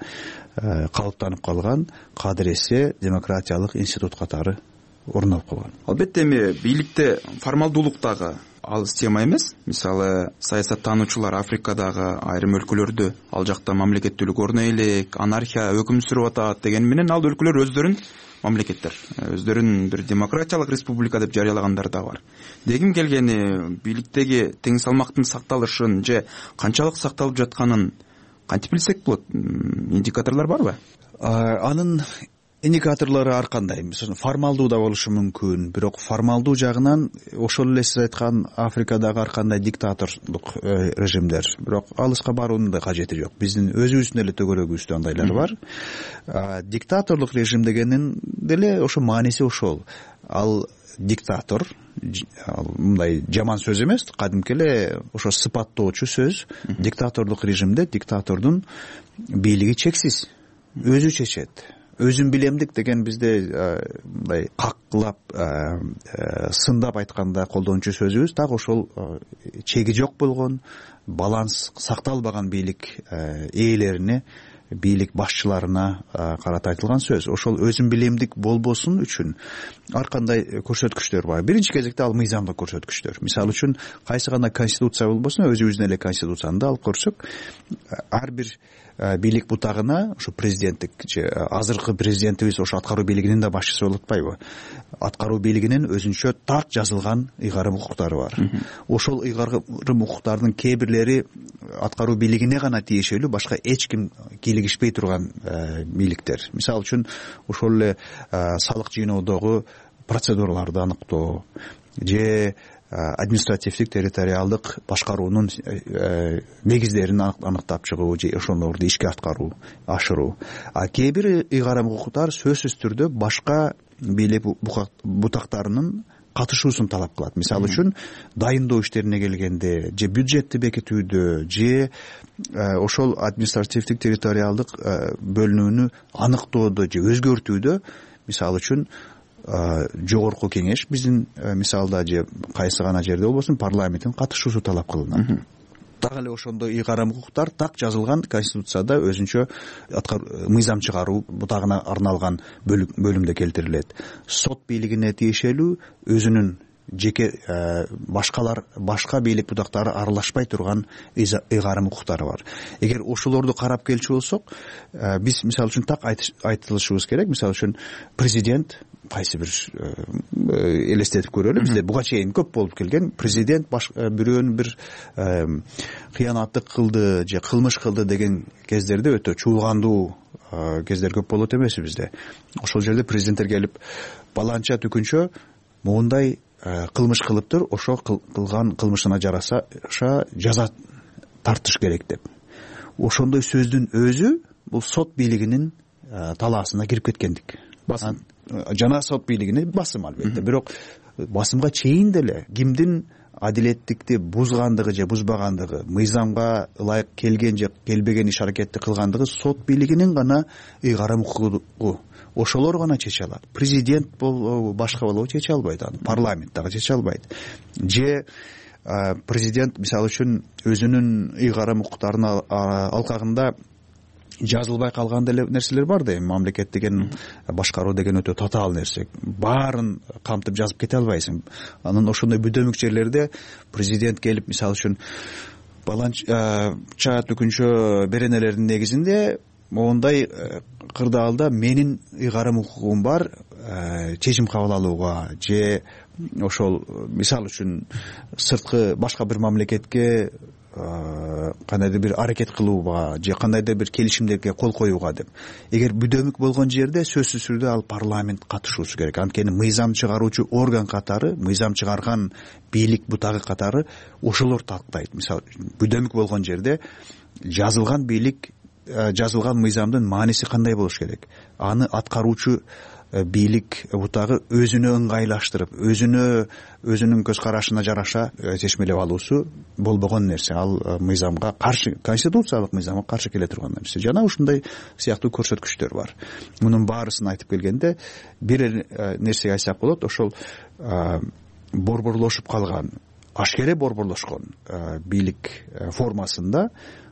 Speaker 10: калыптанып калган кадыресе демократиялык институт катары орун алып калган.
Speaker 9: Албетте эми бийликте формалдуулук дагы алыс тема эмес. Мисалы, саясаттануучулар Африкадагы айрым өлкөлөрдү ал жакта мамлекеттүүлүк орно элек, анархия өкүм сүрүп атат деген менен ал өлкөлөр өздөрүн мамлекеттер, өздөрүн бир демократиялык республика деп жарыялагандар да бар. Дегим келгени, бийликтеги тең салмактын сакталышын же канчалык сакталып жатканын кантип билсек болот? Индикаторлор барбы?
Speaker 10: Анын индикаторлору ар кандай. Формалдуу да болушу мүмкүн, бирок формалдуу жагынан ошол эле сиз айткан Африкадагы ар кандай диктаторлук режимдер, бирок алыска баруунун да кажети жок. Биздин өзүбүздүн эле төгөрөгүбүздө андайлар бар. Диктаторлук режим дегенин деле ошо мааниси ошол. Ал диктатор, мындай жаман сөз эмес, кадимки эле ошо сыпаттоочу сөз. Диктаторлук режимде диктатордун бийлиги чексиз, өзү чечет. Өзүн билемдик деген бизде мындай каклап, сындап айтканда колдончу сөзүбүз, так ошол чеги жок болгон, баланс сакталбаган бийлик ээлерине, бийлик башчыларына карата айтылган сөз. Ошол өзүн билемдик болбосун үчүн ар кандай көрсөткүчтөр бар. Биринчи кезекте ал мыйзамдык көрсөткүчтөр. Мисалы үчүн кайсы гана конституция болбосун, өзүбүздүн эле конституцияны алып көрсөк, ар бир бийлик бутагына ушу президенттик же азыркы президентибиз ошо аткаруу бийлигинин да башчысы болуп атпайбы, аткаруу бийлигинин өзүнчө так жазылган ыйгарым укуктары бар. Ошол ыйгарым укуктардын кээ бирлери аткаруу бийлигине гана тиешелүү, башка эч ким кийлигишпей турган бийликтер. Мисалы үчүн ошол эле салык жыйноодогу процедураларды аныктоо же административдик территориалдык башкаруунун негиздерин аныктап чыгуу же ошолорду ишке ашыруу. А кээ бир ыйгарым укуктар сөзсүз түрдө башка бийлик бутактарынын катышуусун талап кылат. Мисалы үчүн дайындоо иштерине келгенде же бюджетти бекитүүдө же ошол административдик территориалдык бөлүнүүнү аныктоодо же өзгөртүүдө, мисалы үчүн жогорку кеңеш биздин мисалда же кайсы гана жерде болбосун парламенттин катышуусу талап кылынат. Так эле ошондой ыйгарым укуктар так жазылган конституцияда өзүнчө мыйзам чыгаруу бутагына арналган бөлүмдө келтирилет. Сот бийлигине тиешелүү өзүнүн жеке башка бийлик бутактары аралашпай турган ыйгарым укуктары бар. Эгер ошолорду карап келчү болсок, биз мисалы үчүн так айтылышыбыз керек. Мисалы үчүн президент кайсы бир элестетип көрөлү, бизде буга чейин көп болуп келген, президент бирөөнүн бир кыянаттык кылды же кылмыш кылды деген кездерде өтө чуулгандуу кездер көп болот эмеспи бизде. Ошол жерде президенттер келип баланча түкүнчө моундай кылмыш кылыптыр, ошо кылган кылмышына жараша жаза тартыш керек деп. Ошондой сөздүн өзү бул сот бийлигинин талаасына кирип кеткендик. Жана сот бийлигине басым албетте. Бирок басымга чейин деле кимдин адилеттикти бузгандыгы же бузбагандыгы, мыйзамга ылайык келген же келбеген иш аракетти кылгандыгы сот бийлигинин гана ыйгарым укугу. Ошолор гана чече алат. Президент болобу, башка болобу чече албайт аны. Парламент дагы чече албайт. Же президент мисалы үчүн өзүнүн ыйгарым укуктарынын алкагында жазылбай калган деле нерселер бар да. Мамлекет деген, башкаруу деген өтө татаал нерсе. Баарын камтып жазып кете албайсың. Анан ошондой бүдөмүк жерлерде президент келип мисалы үчүн баланча түкүнчө беренелердин негизинде моундай кырдаалда менин ыйгарым укугум бар чечим кабыл алууга же ошол мисалы үчүн сырткы башка бир мамлекетке кандайдыр бир аракет кылууга же кандайдыр бир келишимдерге кол коюуга деп. Эгер бүдөмүк болгон жерде сөзсүз түрдө ал парламент катышуусу керек. Анткени мыйзам чыгаруучу орган катары, мыйзам чыгарган бийлик бутагы катары ошолор тактайт. Мисалы бүдөмүк болгон жерде жазылган бийлик, жазылган мыйзамдын мааниси кандай болуш керек? Аны аткаруучу бийлик бутагы өзүнө ыңгайлаштырып, өзүнүн көз карашына жараша чечмелеп алуусу болбогон нерсе. Ал мыйзамга каршы, конституциялык мыйзамга каршы келе турган нерсе. Жана ушундай сыяктуу көрсөткүчтөр бар. Мунун баарысын айтып келгенде бир нерсеге айтсак болот, ошол борборлошуп калган, ашкере борборлошкон бийлик формасында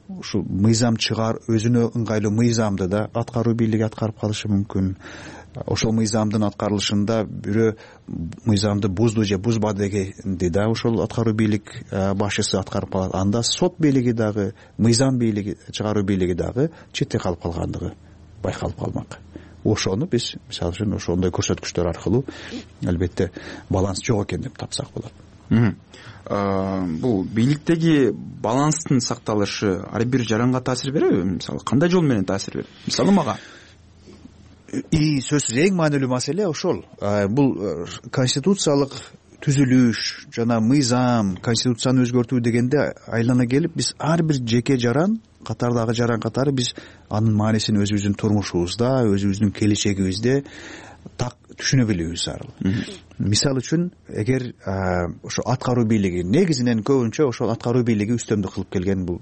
Speaker 10: ушул мыйзам чыгар, өзүнө ыңгайлуу мыйзамды да аткаруу бийлиги аткарып калышы мүмкүн. Ошол мыйзамдын аткарылышында бирөө мыйзамды бузду же бузбады дегенди да ошол аткаруу бийлик башчысы аткарып калат. Анда сот бийлиги дагы, мыйзам бийлиги, чыгаруу бийлиги дагы четте калып калгандыгы байкалып калмак. Ошону биз мисалы үчүн ошондой көрсөткүчтөр аркылуу албетте баланс жок экен деп тапсак болот.
Speaker 9: Бул бийликтеги баланстын сакталышы ар бир жаранга таасир береби? Мисалы кандай жол менен таасир берет? Мисалы мага
Speaker 10: сөзсүз эң маанилүү маселе ошол. Бул конституциялык түзүлүш жана мыйзам, конституцияны өзгөртүү дегенде айлана келип биз ар бир жеке жаран катардагы жаран катары биз анын маанисин өзүбүздүн турмушубузда, өзүбүздүн келечегибизде так түшүнө билүүбүз зарыл. Мисалы үчүн эгер ошо аткаруу бийлиги негизинен көбүнчө ошол аткаруу бийлиги үстөмдүк кылып келген, бул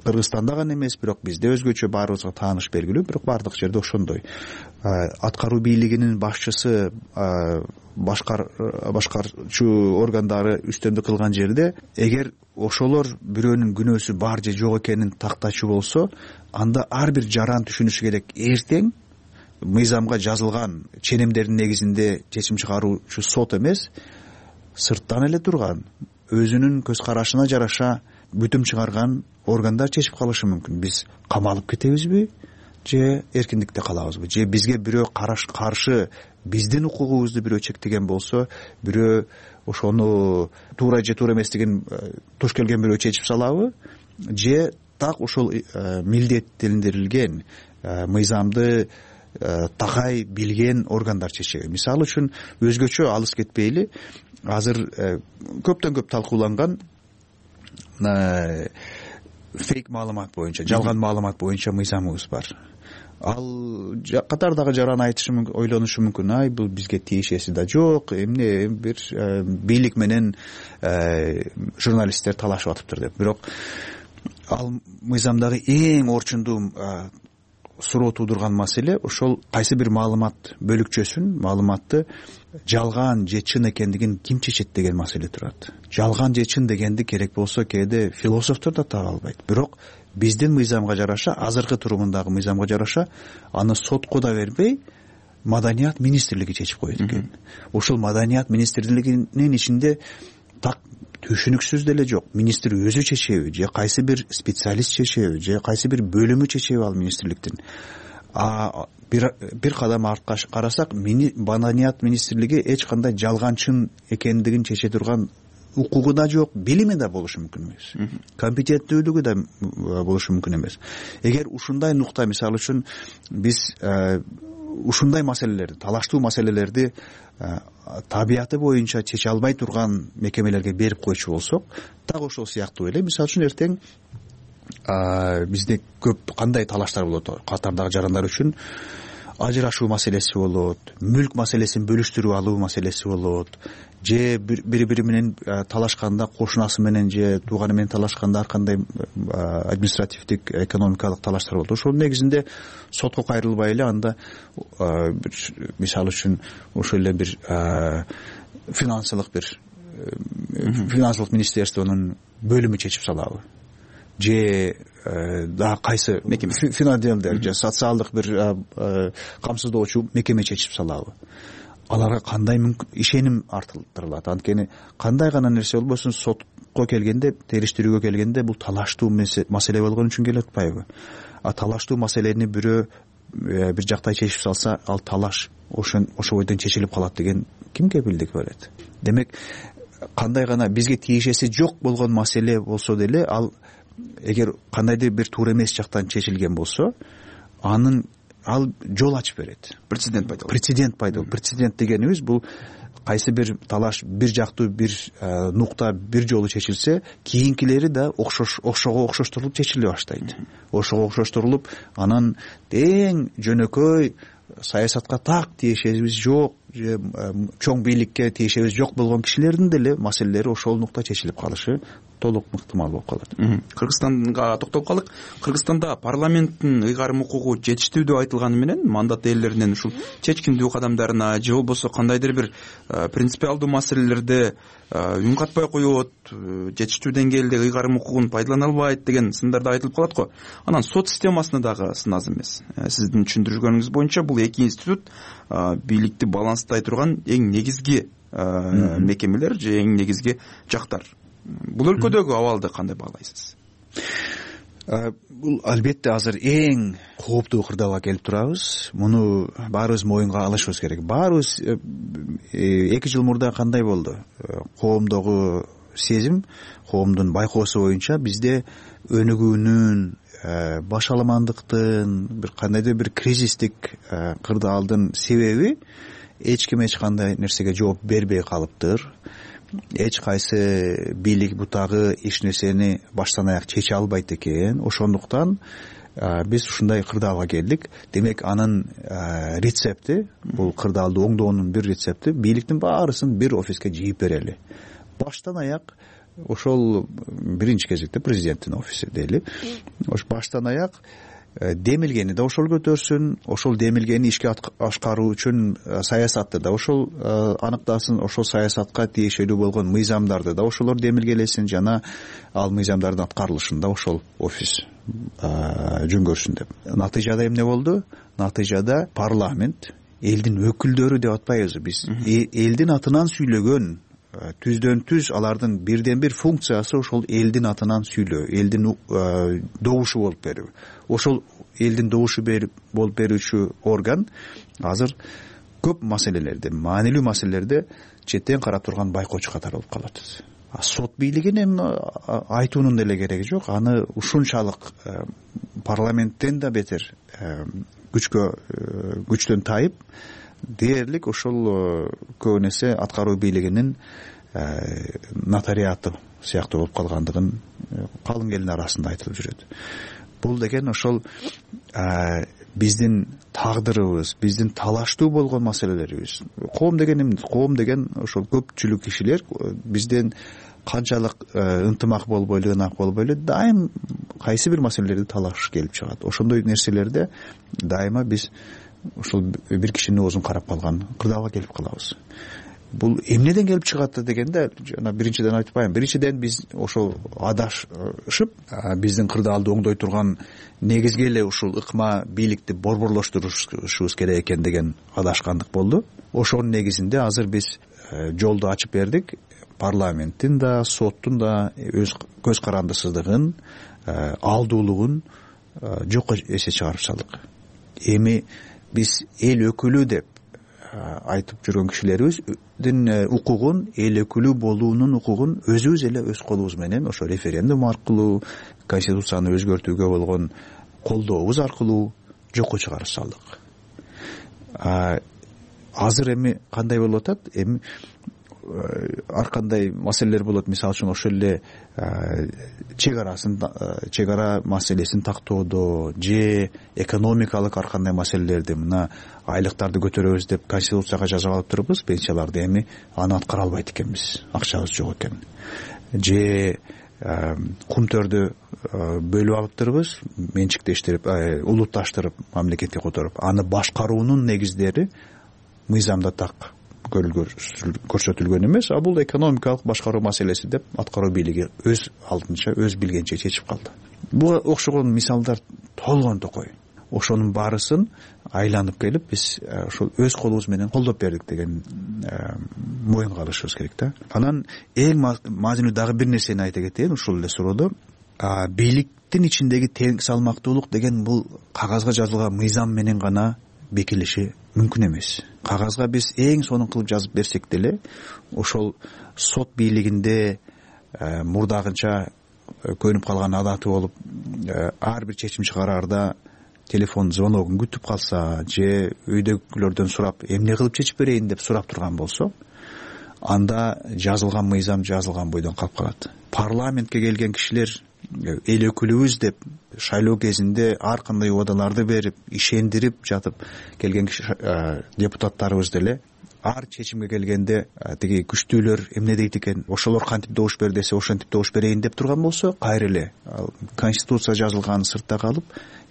Speaker 10: Кыргызстанда гана эмес, бирок бизде өзгөчө баарыбызга тааныш белгилүү, бирок баардык жерде ошондой. Аткаруу бийлигинин башчысы, башкарчу органдары үстөмдүк кылган жерде эгер ошолор бирөөнүн күнөөсү бар же жок экенин тактачу болсо, анда ар бир жаран түшүнүшү керек, эртең мыйзамга жазылган ченемдердин негизинде чечим чыгаруучу сот эмес, сырттан эле турган, өзүнүн көз карашына жараша бүтүм чыгарган органдар чечип калышы мүмкүн. Биз камалып кетебизби же эркиндикте калабызбы, же бизге бирөө каршы биздин укугубузду бирөө чектеген болсо, бирөө ошону туура же туура эмес деген туш келген бирөө чечип салабы, же так ошол милдеттендирилген мыйзамды такай билген органдар чечеби. Мисалы үчүн өзгөчө алыс кетпейли, азыр көптөн көп талкууланган фейк маалымат боюнча, жалган маалымат боюнча мыйзамыбыз бар. Ал катардагы жаран айтышы мүмкүн, ойлонушу мүмкүн, ай бул бизге тиешеси да жок, эмне бир бийлик менен журналисттер талашып атыптыр деп. Бирок ал мыйзамдагы эң орчундуу суроо туудурган маселе ошол кайсы бир маалымат бөлүкчөсүн, маалыматты жалган же чын экендигин ким чечет деген маселе турат. Жалган же чын дегенди керек болсо кээде философтор да таба албайт. Бирок биздин мыйзамга жараша, азыркы турумундагы мыйзамга жараша аны сотко да бербей Маданият министрлиги чечип коет экен. Ошол Маданият министрлигинин ичинде так түшүнүксүз деле жок. Министр өзү чечеби же кайсы бир специалист чечеби же кайсы бир бөлүмү чечеби ал министрликтин. Бир кадам артка карасак, Маданият министрлиги эч кандай жалган чын экендигин чече турган укугу да жок, билими да болушу мүмкүн эмес, компетенттүүлүгү да болушу мүмкүн эмес. Эгер ушундай нукта, мисалы үчүн биз ушундай маселелерди, талаштуу маселелерди табияты боюнча чече албай турган мекемелерге берип койчу болсок, так ошол сыяктуу эле, мисалы үчүн эртең бизде көп кандай талаштар болот, катардагы жарандар үчүн ажырашуу маселеси болот, мүлк маселесин бөлүштүрүп алуу маселеси болот, же бири менен талашканда, кошунасы менен же тууганы менен талашканда ар кандай административдик, экономикалык талаштар болот. Ошол негизинде сотко кайрылбай эле анда мисалы үчүн ошол эле бир финансылык министерствонун бөлүмү чечип салабы, же да кайсы финанделдер же социалдык бир камсыздоочу мекеме чечип салабы. Аларга кандай ишеним артылдырылат? Анткени кандай гана нерсе болбосун сотко келгенде, териштирүүгө келгенде бул талаштуу маселе болгон үчүн келип атпайбы? Талаштуу маселени бирөө бир жактай чечип салса, ал талаш ошо бойдон чечилип калат деген кимге кепилдик берет? Демек, кандай гана бизге тиешеси жок болгон маселе болсо деле, ал эгер кандайдыр бир туура эмес жактан чечилген болсо, ал жол ачып берет. Прецедент пайда болот. Прецедент дегенибиз бул кайсы бир талаш бир жактуу бир нукта бир жолу чечилсе, кийинкилери да ошого окшоштурулуп чечиле баштайт. Ошого окшоштурулуп, анан тең жөнөкөй саясатка так тиешебиз жок, же чоң бийликке тиешебиз жок болгон кишилердин деле маселелери ошол нукта чечилип калышы толук ыктымал болуп калат.
Speaker 9: Кыргызстанга токтолуп калдык. Кыргызстанда парламенттин ыйгарым укугу жетиштүү деп айтылганы менен мандат ээлеринен ушул чечкиндүү кадамдарына же болбосо кандайдыр бир принципиалдуу маселелерде үн катпай коет, жетиштүү деңгээлде ыйгарым укугун пайдалана албайт деген сындар да айтылып калат го. Анан сот системасына дагы сын аз эмес. Сиздин түшүндүргөнүңүз боюнча бул эки институт бийликти баланстай турган эң негизги мекемелер же эң негизги жактар. Бул өлкөдөгү абалды кандай баалайсыз?
Speaker 10: Бул албетте азыр эң кооптуу кырдаалга келип турабыз. Муну баарыбыз моюнга алышыбыз керек. Баарыбыз 2 жыл мурда кандай болду? Коомдогу сезим, коомдун байкоосу боюнча бизде өнүгүүнүн, башаламандыктын, бир кандайдыр бир кризистик кырдаалдын себеби эч ким эч кандай нерсеге жооп бербей калыптыр. Эч кайсы бийлик бутагы эч нерсени баштан аяк чече албайт экен. Ошондуктан биз ушундай кырдаалга келдик. Демек, анын рецепти, бул кырдаалды оңдоонун бир рецепти бийликтин баарысын бир офиске жыйып берели. Баштан аяк ошол биринчи кезекте президенттин офиси дейли. Ош баштан аяк демилгени да ошол көтөрсүн, ошол демилгени ишке ашкаруу үчүн саясатты да ошол аныктасын, ошол саясатка тиешелүү болгон мыйзамдарды да ошолор демилгелесин, жана ал мыйзамдардын аткарылышын да ошол офис жөнгөрсүн деп. Натыйжада эмне болду? Натыйжада парламент, элдин өкүлдөрү деп атпайбызбы биз, элдин атынан сүйлөгөн түздөн түз алардын бирден бир функциясы ошол элдин атынан сүйлөө, элдин добушу болуп берүү. Ошол элдин добушу болуп берүүчү орган азыр көп маселелерде, маанилүү маселелерде четтен карап турган байкоочу катары болуп калат. Сот бийлигин эми айтуунун деле кереги жок. Аны ушунчалык парламенттен да бетер күчтөн тайып, дээрлик ошол көп нерсе аткаруу бийлигинин нотариаты сыяктуу болуп калгандыгын калың элдин арасында айтылып жүрөт. Бул деген ошол биздин тагдырыбыз, биздин талаштуу болгон маселелерибиз. Коом деген ошол көпчүлүк кишилер бизден канчалык ынтымак болбойлу, ынак болбойлу дайым кайсы бир маселелерди талашыш келип чыгат. Ошондой нерселерде дайыма биз ошол бир кишинин оозун карап калган кырдаалга келип калабыз. Бул эмнеден келип чыгат дегенде, жана биринчиден айтпайм. Биринчиден биз ошол адашып, биздин кырдаалды оңдой турган негизги эле ушул ыкма бийликти борборлоштурушубуз керек экен деген адашкандык болду. Ошонун негизинде азыр биз жолду ачып бердик. Парламенттин да, соттун да өз көз карандысыздыгын, алдуулугун жокко эсе чыгарып салдык. Эми биз эл өкүлү деп айтып жүргөн кишилерибиздин укугун, эл өкүлү болуунун укугун өзүбүз эле өз колубуз менен ошо референдум аркылуу, конституцияны өзгөртүүгө болгон колдообуз аркылуу жокко чыгарып салдык. Азыр эми кандай болуп атат? Эми ар кандай маселелер болот. Мисалы үчүн ошол эле чек ара маселесин тактоодо же экономикалык ар кандай маселелерди, мына айлыктарды көтөрөбүз деп конституцияга жазып алып турбуз, пенсияларды эми аны аткара албайт экенбиз, акчабыз жок экен. Же кумтөрдү бөлүп алып турбуз, менчиктештирип, улутташтырып, мамлекетке которуп, аны башкаруунун негиздери мыйзамда так көрсөтүлгөн эмес. Бул экономикалык башкаруу маселеси деп аткаруу бийлиги өз алдынча, өз билгенче чечип калды. Буга окшогон мисалдар толгон токой. Ошонун баарысын айланып келип биз ошол өз колубуз менен колдоп бердик деген моюнга алышыбыз керек да. Анан эң маанилүү дагы бир нерсени айта кетейин ушул эле суроодо. Бийликтин ичиндеги тең салмактуулук деген бул кагазга жазылган мыйзам менен гана бекилиши мүмкүн эмес. Кагазга биз эң сонун кылып жазып берсек деле, ошол сот бийлигинде мурдагынча көнүп калган адаты болуп, ар бир чечим чыгараарда телефон звоногун күтүп калса же үйдөгүлөрдөн сурап эмне кылып чечип берейин деп сурап турган болсо, анда жазылган мыйзам жазылган бойдон калып калат. Парламентке келген кишилер эл өкүлүбүз деп шайлоо кезинде ар кандай убадаларды берип, ишендирип жатып келген депутаттарыбыз деле ар чечимге келгенде тиги күчтүүлөр эмне дейт экен, ошолор кантип добуш бер десе ошентип добуш берейин деп турган болсо, кайра эле конституция жазылганын сыртта калып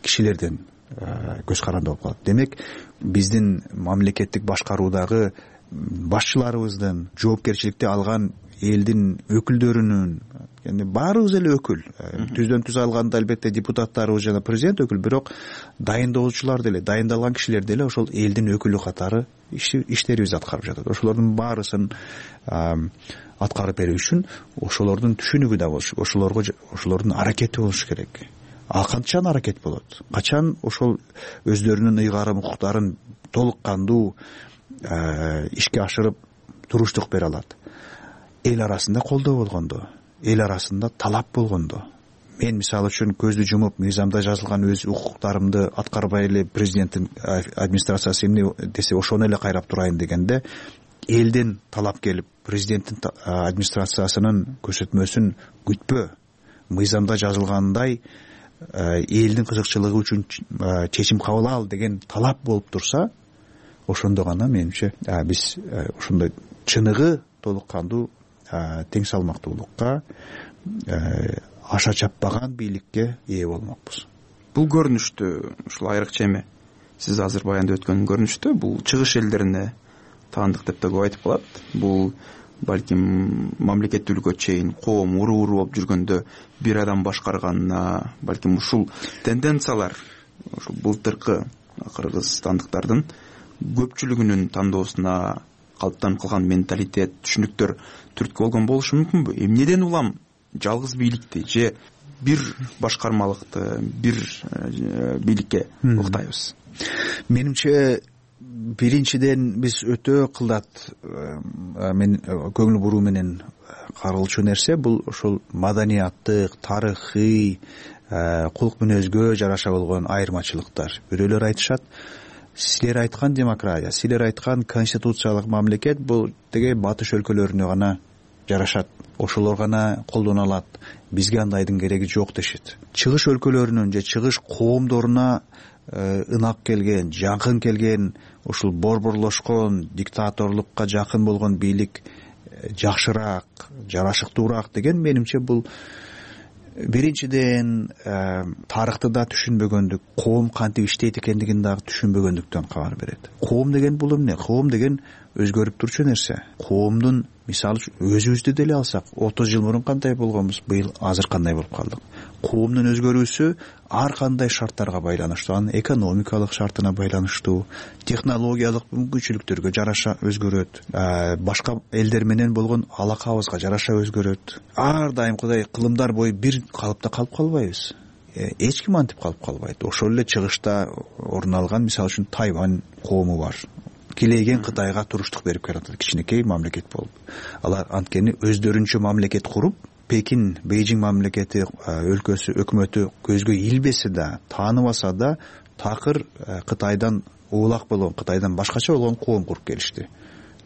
Speaker 10: кишилерден көз каранды болуп калат. Демек, биздин мамлекеттик башкаруудагы башчыларыбыздын жоопкерчиликти алган элдин өкүлдөрүнүн, баарыбыз эле өкүл, түздөн түз алганда албетте депутаттарыбыз жана президент өкүл, бирок дайындоочулар деле, дайындалган кишилер деле ошол элдин өкүлү катары иштерибизди аткарып жатат. Ошолордун баарысын аткарып берүү үчүн ошолордун түшүнүгү да болуш, ошолордун аракети болуш керек. Качан аракет болот? Качан ошол өздөрүнүн ыйгарым укуктарын толук кандуу ишке ашырып туруштук бере алат? Эл арасында колдоо болгондо, эл арасында талап болгондо. Мен мисалы үчүн көздү жумуп мыйзамда жазылган өз укуктарымды аткарбай эле президенттин администрациясы эмне десе ошону эле кайрап турайын дегенде, элден талап келип президенттин администрациясынын көзөтмөсүн күтпө, мыйзамда жазылгандай элдин кызыкчылыгы үчүн чечим кабыл ал деген талап болуп турса, ошондо гана менимче биз ошондой чыныгы толук кандуу тең салмактуулукка, аша чаппаган бийликке ээ болмокпуз.
Speaker 9: Бул көрүнүштү, ушул айрыкча эми сиз азыр баяндап өткөн көрүнүштү, бул чыгыш элдерине таандык деп да көп айтып калат. Бул балким мамлекеттүүлүккө чейин коом уруу болуп жүргөндө бир адам башкарганына, балким ушул тенденциялар ушул былтыркы кыргызстандыктардын көпчүлүгүнүн тандоосуна калыптанып калган менталитет, түшүнүктөр түрткү болгон болушу мүмкүнбү? Эмнеден улам жалгыз бийликти же бир башкармалыкты, бир бийликке уктайбыз?
Speaker 10: Менимче биринчиден биз өтө кылдат мен көңүл буруу менен каралчу нерсе бул ошол маданияттык, тарыхый, кулк мүнөзгө жараша болгон айырмачылыктар. Бирөөлөр айтышат, силер айткан демократия, силер айткан конституциялык мамлекет бул теге батыш өлкөлөрүнө гана жарашат, ошолор гана колдоно алат, бизге андайдын кереги жок дешет. Чыгыш өлкөлөрүнүн же чыгыш коомдоруна ынак келген, жакын келген, ушул борборлошкон, диктаторлукка жакын болгон бийлик жакшыраак, жарашыктуураак деген менимче бул биринчиден тарыхты да түшүнбөгөндүк, коом кантип иштейт экендигин дагы түшүнбөгөндүктөн кабар берет. Коом деген бул эмне? Коом деген өзгөрүп турчу нерсе. Коомдун мисалы өзүбүздү деле алсак, 30 жыл мурун кандай болгонбуз, быйыл азыр кандай болуп калдык. Коомдун өзгөрүүсү ар кандай шарттарга байланыштуу, анын экономикалык шартына байланыштуу, технологиялык мүмкүнчүлүктөргө жараша өзгөрөт, башка элдер менен болгон алакабызга жараша өзгөрөт. Ар дайым Кудай кылымдар бою бир калыпта калып калбайбыз. Эч ким антип калып калбайт. Ошол эле чыгышта орун алган мисалы үчүн Тайвань коому бар. Килейген Кытайга туруштук берип келатат, кичинекей мамлекет болуп. Алар анткени өздөрүнчө мамлекет куруп, Пекин, Бейжиң мамлекети, өлкөсү, өкмөтү көзгө илбесе да, тааныбаса да, такыр Кытайдан улак болгон, Кытайдан башкача болгон коом куруп келишти.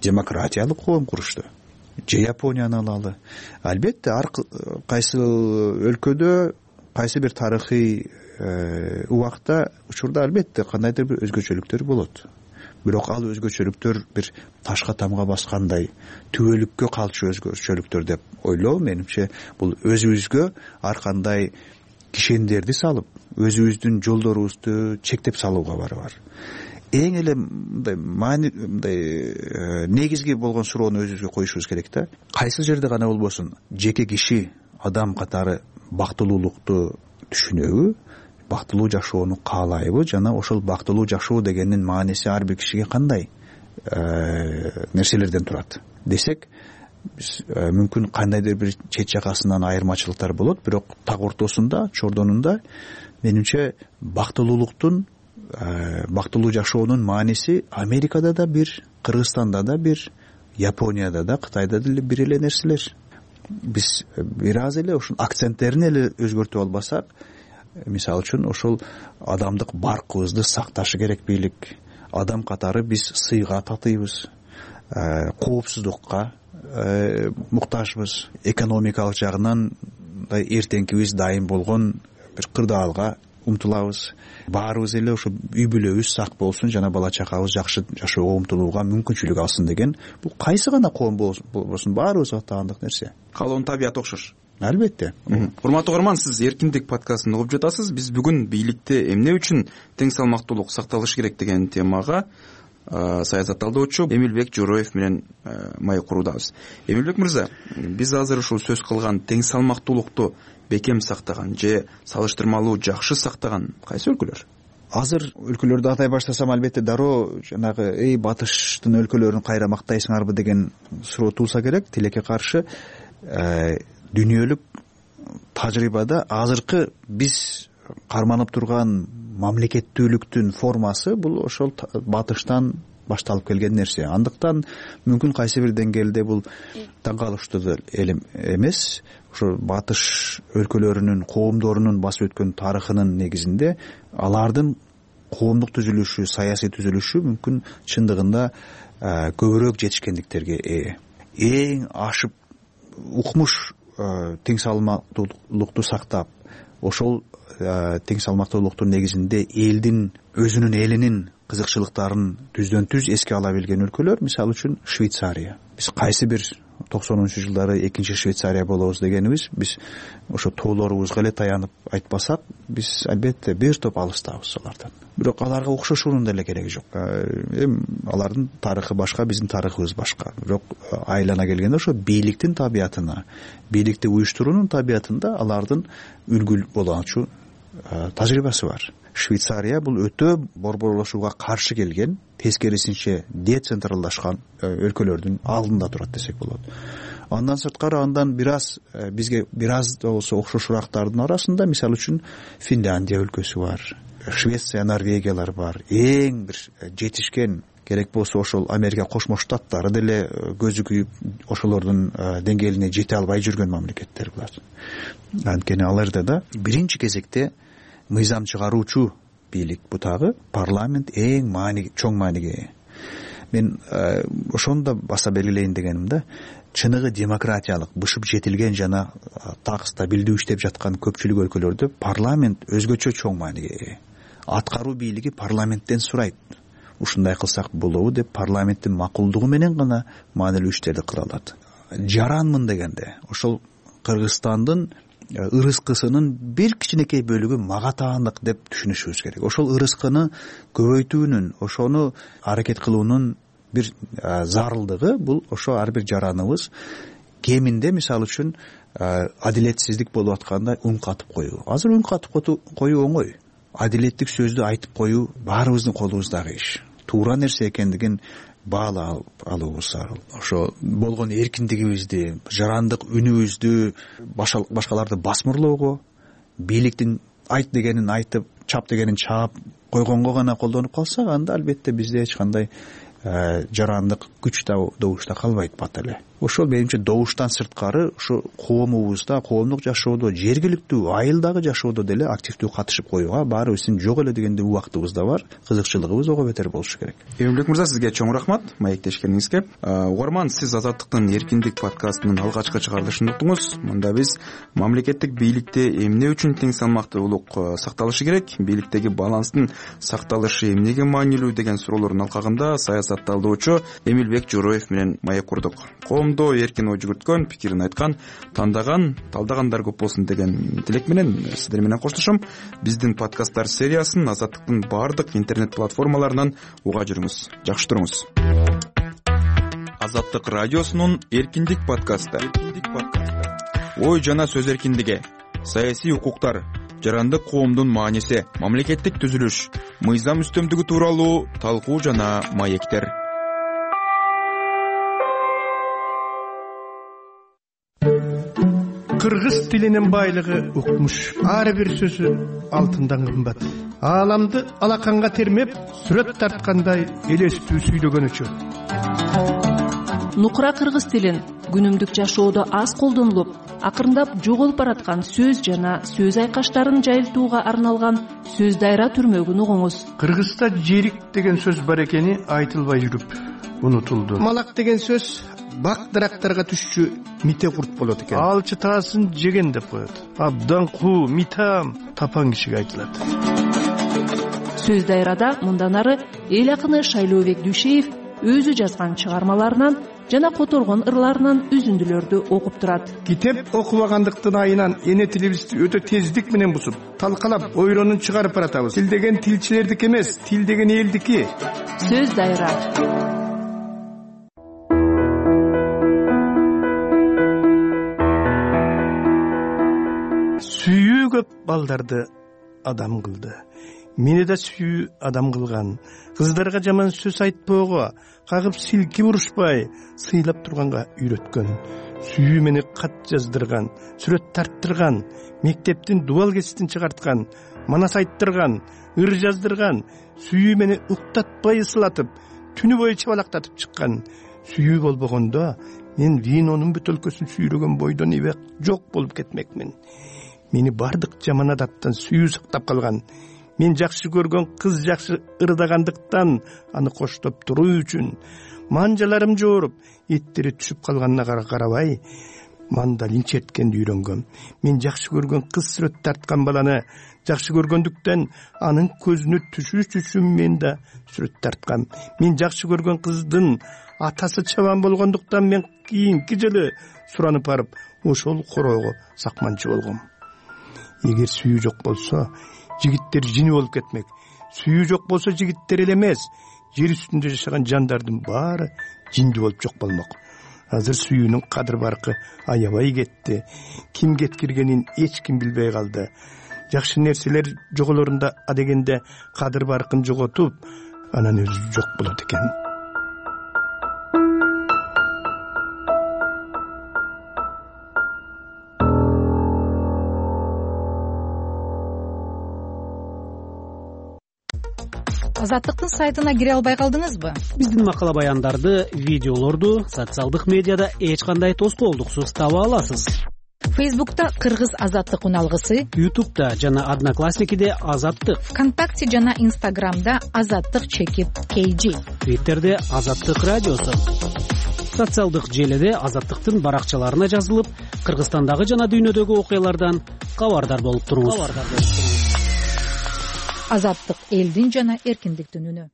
Speaker 10: Демократиялык коом курушту. Же Японияны алалы. Албетте, ар кайсы өлкөдө, кайсы бир тарыхый убакта, учурда албетте кандайдыр бир өзгөчөлүктөр болот. Бирок ал өзгөчөлүктөр бир ташка тамга баскандай, түбөлүккө калчу өзгөчөлүктөр деп ойлоо менимче бул өзүбүзгө ар кандай кишендерди салып, өзүбүздүн жолдорубузду чектеп салууга бар. Эң эле мындай негизги болгон суроону өзүбүзгө коюшубуз керек да. Кайсы жерде гана болбосун, жеке киши адам катары бактылуулукту түшүнөбү? Бактылуу жашоону каалайбы жана ошол бактылуу жашоо дегендин мааниси ар бир кишиге кандай нерселерден турат десек, биз мүмкүн кандайдыр бир чет жакасынан айырмачылыктар болот, бирок так ортосунда, чордонунда менимче бактылуулуктун, бактылуу жашоонун мааниси Америкада да бир, Кыргызстанда да бир, Японияда да, Кытайда деле бир эле нерселер. Биз бир аз эле ушул акценттерин эле өзгөртүп албасак, мисалы үчүн ошол адамдык баркыбызды сакташы керек бийлик. Адам катары биз сыйга татыйбыз, коопсуздукка муктажбыз, экономикалык жагынан эртеңкибиз дайым болгон бир кырдаалга умтулабыз. Баарыбыз эле ошо үй бүлөбүз сак болсун жана бала чакабыз жакшы жашоого умтулууга мүмкүнчүлүк алсын деген, бул кайсы гана коом болбосун баарыбызга таандык нерсе.
Speaker 9: Калоонун табияты окшош.
Speaker 10: Албетте.
Speaker 9: Урматтуу угарман, сиз эркиндик подкастын угуп жатасыз. Биз бүгүн бийликте эмне үчүн тең салмактуулук сакталышы керек деген темага саясат талдоочу Эмилбек Жороев менен маек куруудабыз. Эмилбек мырза, биз азыр ушул сөз кылган тең салмактуулукту бекем сактаган же салыштырмалуу жакшы сактаган кайсы өлкөлөр?
Speaker 10: Азыр өлкөлөрдү атай баштасам, албетте дароо жанагы батыштын өлкөлөрүн кайра мактайсыңарбы деген суроо туулса керек. Тилекке каршы дүйнөлүк тажрыйбада азыркы биз карманып турган мамлекеттүүлүктүн формасы бул ошол батыштан башталып келген нерсе. Андыктан мүмкүн кайсы бир деңгээлде бул таң калыштуу эмес. Ошо батыш өлкөлөрүнүн, коомдорунун басып өткөн тарыхынын негизинде алардын коомдук түзүлүшү, саясий түзүлүшү мүмкүн чындыгында көбүрөөк жетишкендиктерге ээ. Эң ашып укмуш тең салмактуулукту сактап, ошол тең салмактуулуктун негизинде элдин, өзүнүн элинин кызыкчылыктарын түздөн түз эске ала билген өлкөлөр, мисалы үчүн Швейцария. Биз кайсы бир 90-жылдары экинчи Швейцария болобуз дегенибиз, биз ошо тоолорубузга эле таянып айтпасак, биз албетте бир топ алыстабыз алардан. Бирок аларга окшошуунун деле кереги жок. Алардын тарыхы башка, биздин тарыхыбыз башка. Бирок айлана келгенде ошо бийликтин табиятына, бийликти уюштуруунун табиятында алардын үлгү болгончу тажрыйбасы бар. Швейцария бул өтө борборлошууга каршы келген, тескерисинче децентралдашкан өлкөлөрдүн алдында турат десек болот. Андан сырткары андан бир аз бизге бир аз да болсо окшошурактардын арасында мисалы үчүн Финляндия өлкөсү бар, Швеция, Норвегиялар бар. Эң бир жетишкен, керек болсо ошол Америка Кошмо Штаттары деле көзү күйүп ошолордун деңгээлине жете албай жүргөн мамлекеттер булар. Анткени аларда да биринчи кезекте мыйзам чыгаруучу бийлик бутагы парламент эң чоң мааниге ээ. Мен ошону да баса белгилейин дегеним да, чыныгы демократиялык, бышып жетилген жана так стабилдүү иштеп жаткан көпчүлүк өлкөлөрдө парламент өзгөчө чоң мааниге ээ. Аткаруу бийлиги парламенттен сурайт. Ушундай кылсак болобу деп парламенттин макулдугу менен гана маанилүү иштерди кыла алат. Жаранмын дегенде ошол Кыргызстандын ырыскысынын бир кичинекей бөлүгү мага таандык деп түшүнүшүбүз керек. Ошол ырыскыны көбөйтүүнүн, ошону аракет кылуунун бир зарылдыгы бул ошо ар бир жараныбыз кеминде мисалы үчүн адилетсиздик болуп атканда үн катып коюу. Азыр үн катып коюу оңой. Адилеттик сөздү айтып коюу баарыбыздын колубуздагы иш. Туура нерсе экендигин баалап алуубуз зарыл. Ошо болгон эркиндигибизди, жарандык үнүбүздү башкаларды басмырлоого, бийликтин айт дегенин айтып, чап дегенин чаап койгонго гана колдонуп калсак, анда албетте бизде эч кандай жарандык күч добуш да калбайт бат эле. Ошол менимче добуштан сырткары ушу коомубузда, коомдук жашоодо, жергиликтүү айылдагы жашоодо деле активдүү катышып коюуга баарыбыздын жок эле дегенде убактыбыз да бар, кызыкчылыгыбыз ого бетер болушу керек.
Speaker 9: Эмилбек мырза, сизге чоң рахмат маектешкениңизге. Угарман, сиз Азаттыктын эркиндик подкастынын алгачкы чыгарылышын уктуңуз. Мында биз мамлекеттик бийликте эмне үчүн тең салмактуулук сакталышы керек, бийликтеги баланстын сакталышы эмнеге маанилүү деген суроолордун алкагында саясатталдоочу Эмилбек Жороев менен маек курдук. Коомдо эркин ой жүгүрткөн, пикирин айткан, тандаган, талдагандар көп болсун деген тилек менен сиздер менен коштошом. Биздин подкасттар сериясын Азаттыктын баардык интернет платформаларынан уга жүрүңүз. Жакшы туруңуз. Азаттык радиосунун эркиндик подкасты. Ой жана сөз эркиндиги, саясий укуктар, жарандык коомдун мааниси, мамлекеттик түзүлүш, мыйзам үстөмдүгү тууралуу талкуу жана маектер.
Speaker 6: Кыргыз тилинин байлыгы укмуш. Ар бир сөзү алтындан кымбат. Ааламды алаканга термеп, сүрөт тарткандай элестүү сүйлөгөнүчү.
Speaker 11: Нукура кыргыз тилин күнүмдүк жашоодо аз колдонулуп, акырындап жоголуп бараткан сөз жана сөз айкаштарын жайылтууга арналган сөз дайра түрмөгүн угуңуз.
Speaker 6: Кыргызда жерик деген сөз бар экени айтылбай жүрүп унутулду. Малак деген сөз бак дарактарга түшчү мите курт болот экен. Ал чытаасын жеген деп коет. Абдан куу, митам тапан кишиге айтылат.
Speaker 11: Сөз дайрада мындан ары эл акыны Шайлообек Дүйшеев өзү жазган чыгармаларынан жана которгон ырларынан үзүндүлөрдү окуп турат.
Speaker 6: Китеп окубагандыктын айынан эне тилибизди өтө тездик менен бузуп, талкалап, ойронун чыгарып баратабыз. Тил деген тилчилердики эмес, тил деген элдики.
Speaker 11: Сөз дайра.
Speaker 6: Сүйүү көп балдарды адам кылды. Мени да сүйүү адам кылган. Кыздарга жаман сөз айтпоого, кагып силкип урушпай, сыйлап турганга үйрөткөн. Сүйүү мени кат жаздырган, сүрөт тарттырган, мектептин дубал кеситин чыгарткан, манас айттырган, ыр жаздырган. Сүйүү мени уктатпай ысылатып, түнү бою чабалактатып чыккан. Сүйүү болбогондо мен винонун бөтөлкөсүн сүйрөгөн бойдон ибек жок болуп кетмекмин. Мени бардык жаман адаттан сүйүү сактап калган. Мен жакшы көргөн кыз жакшы ырдагандыктан аны коштоп туруу үчүн манжаларым жооруп, эттери түшүп калганына карабай, мандалин черткенди үйрөнгөм. Мен жакшы көргөн кыз сүрөт тарткан баланы жакшы көргөндүктөн анын көзүнө түшүш үчүн мен да сүрөт тарткам. Мен жакшы көргөн кыздын атасы чабан болгондуктан мен кийинки жылы суранып барып, ошол короого сакманчы болгом. Эгер сүйүү жок болсо, жигиттер жини болуп кетмек. Сүйүү жок болсо, жигиттер эле эмес, жер үстүндө жашаган жандардын баары жинди болуп жок болмок. Азыр сүйүүнүн кадыр баркы аябай кетти. Ким кеткиргенин эч ким билбей калды.
Speaker 12: жакшы нерселер жоголорунда адегенде кадыр баркын жоготуп анан өзү жок болот экен.
Speaker 2: Азаттыктын сайтына кире албай калдыңызбы?
Speaker 13: Биздин макала баяндарды, видеолорду социалдык медиада эч кандай тоскоолдуксуз таба аласыз.
Speaker 2: Фейсбукта Кыргыз азаттык уналгысы,
Speaker 13: Ютубта жана Одноклассникиде Азаттык,
Speaker 2: ВКонтакте жана Инстаграмда Азаттык чекит KG,
Speaker 13: Твиттерде Азаттык радиосу. Социалдык желиде Азаттыктын баракчаларына жазылып, Кыргызстандагы жана дүйнөдөгү окуялардан кабардар болуп туруңуз.
Speaker 2: Азаттык элдин жана эркиндиктин үнү.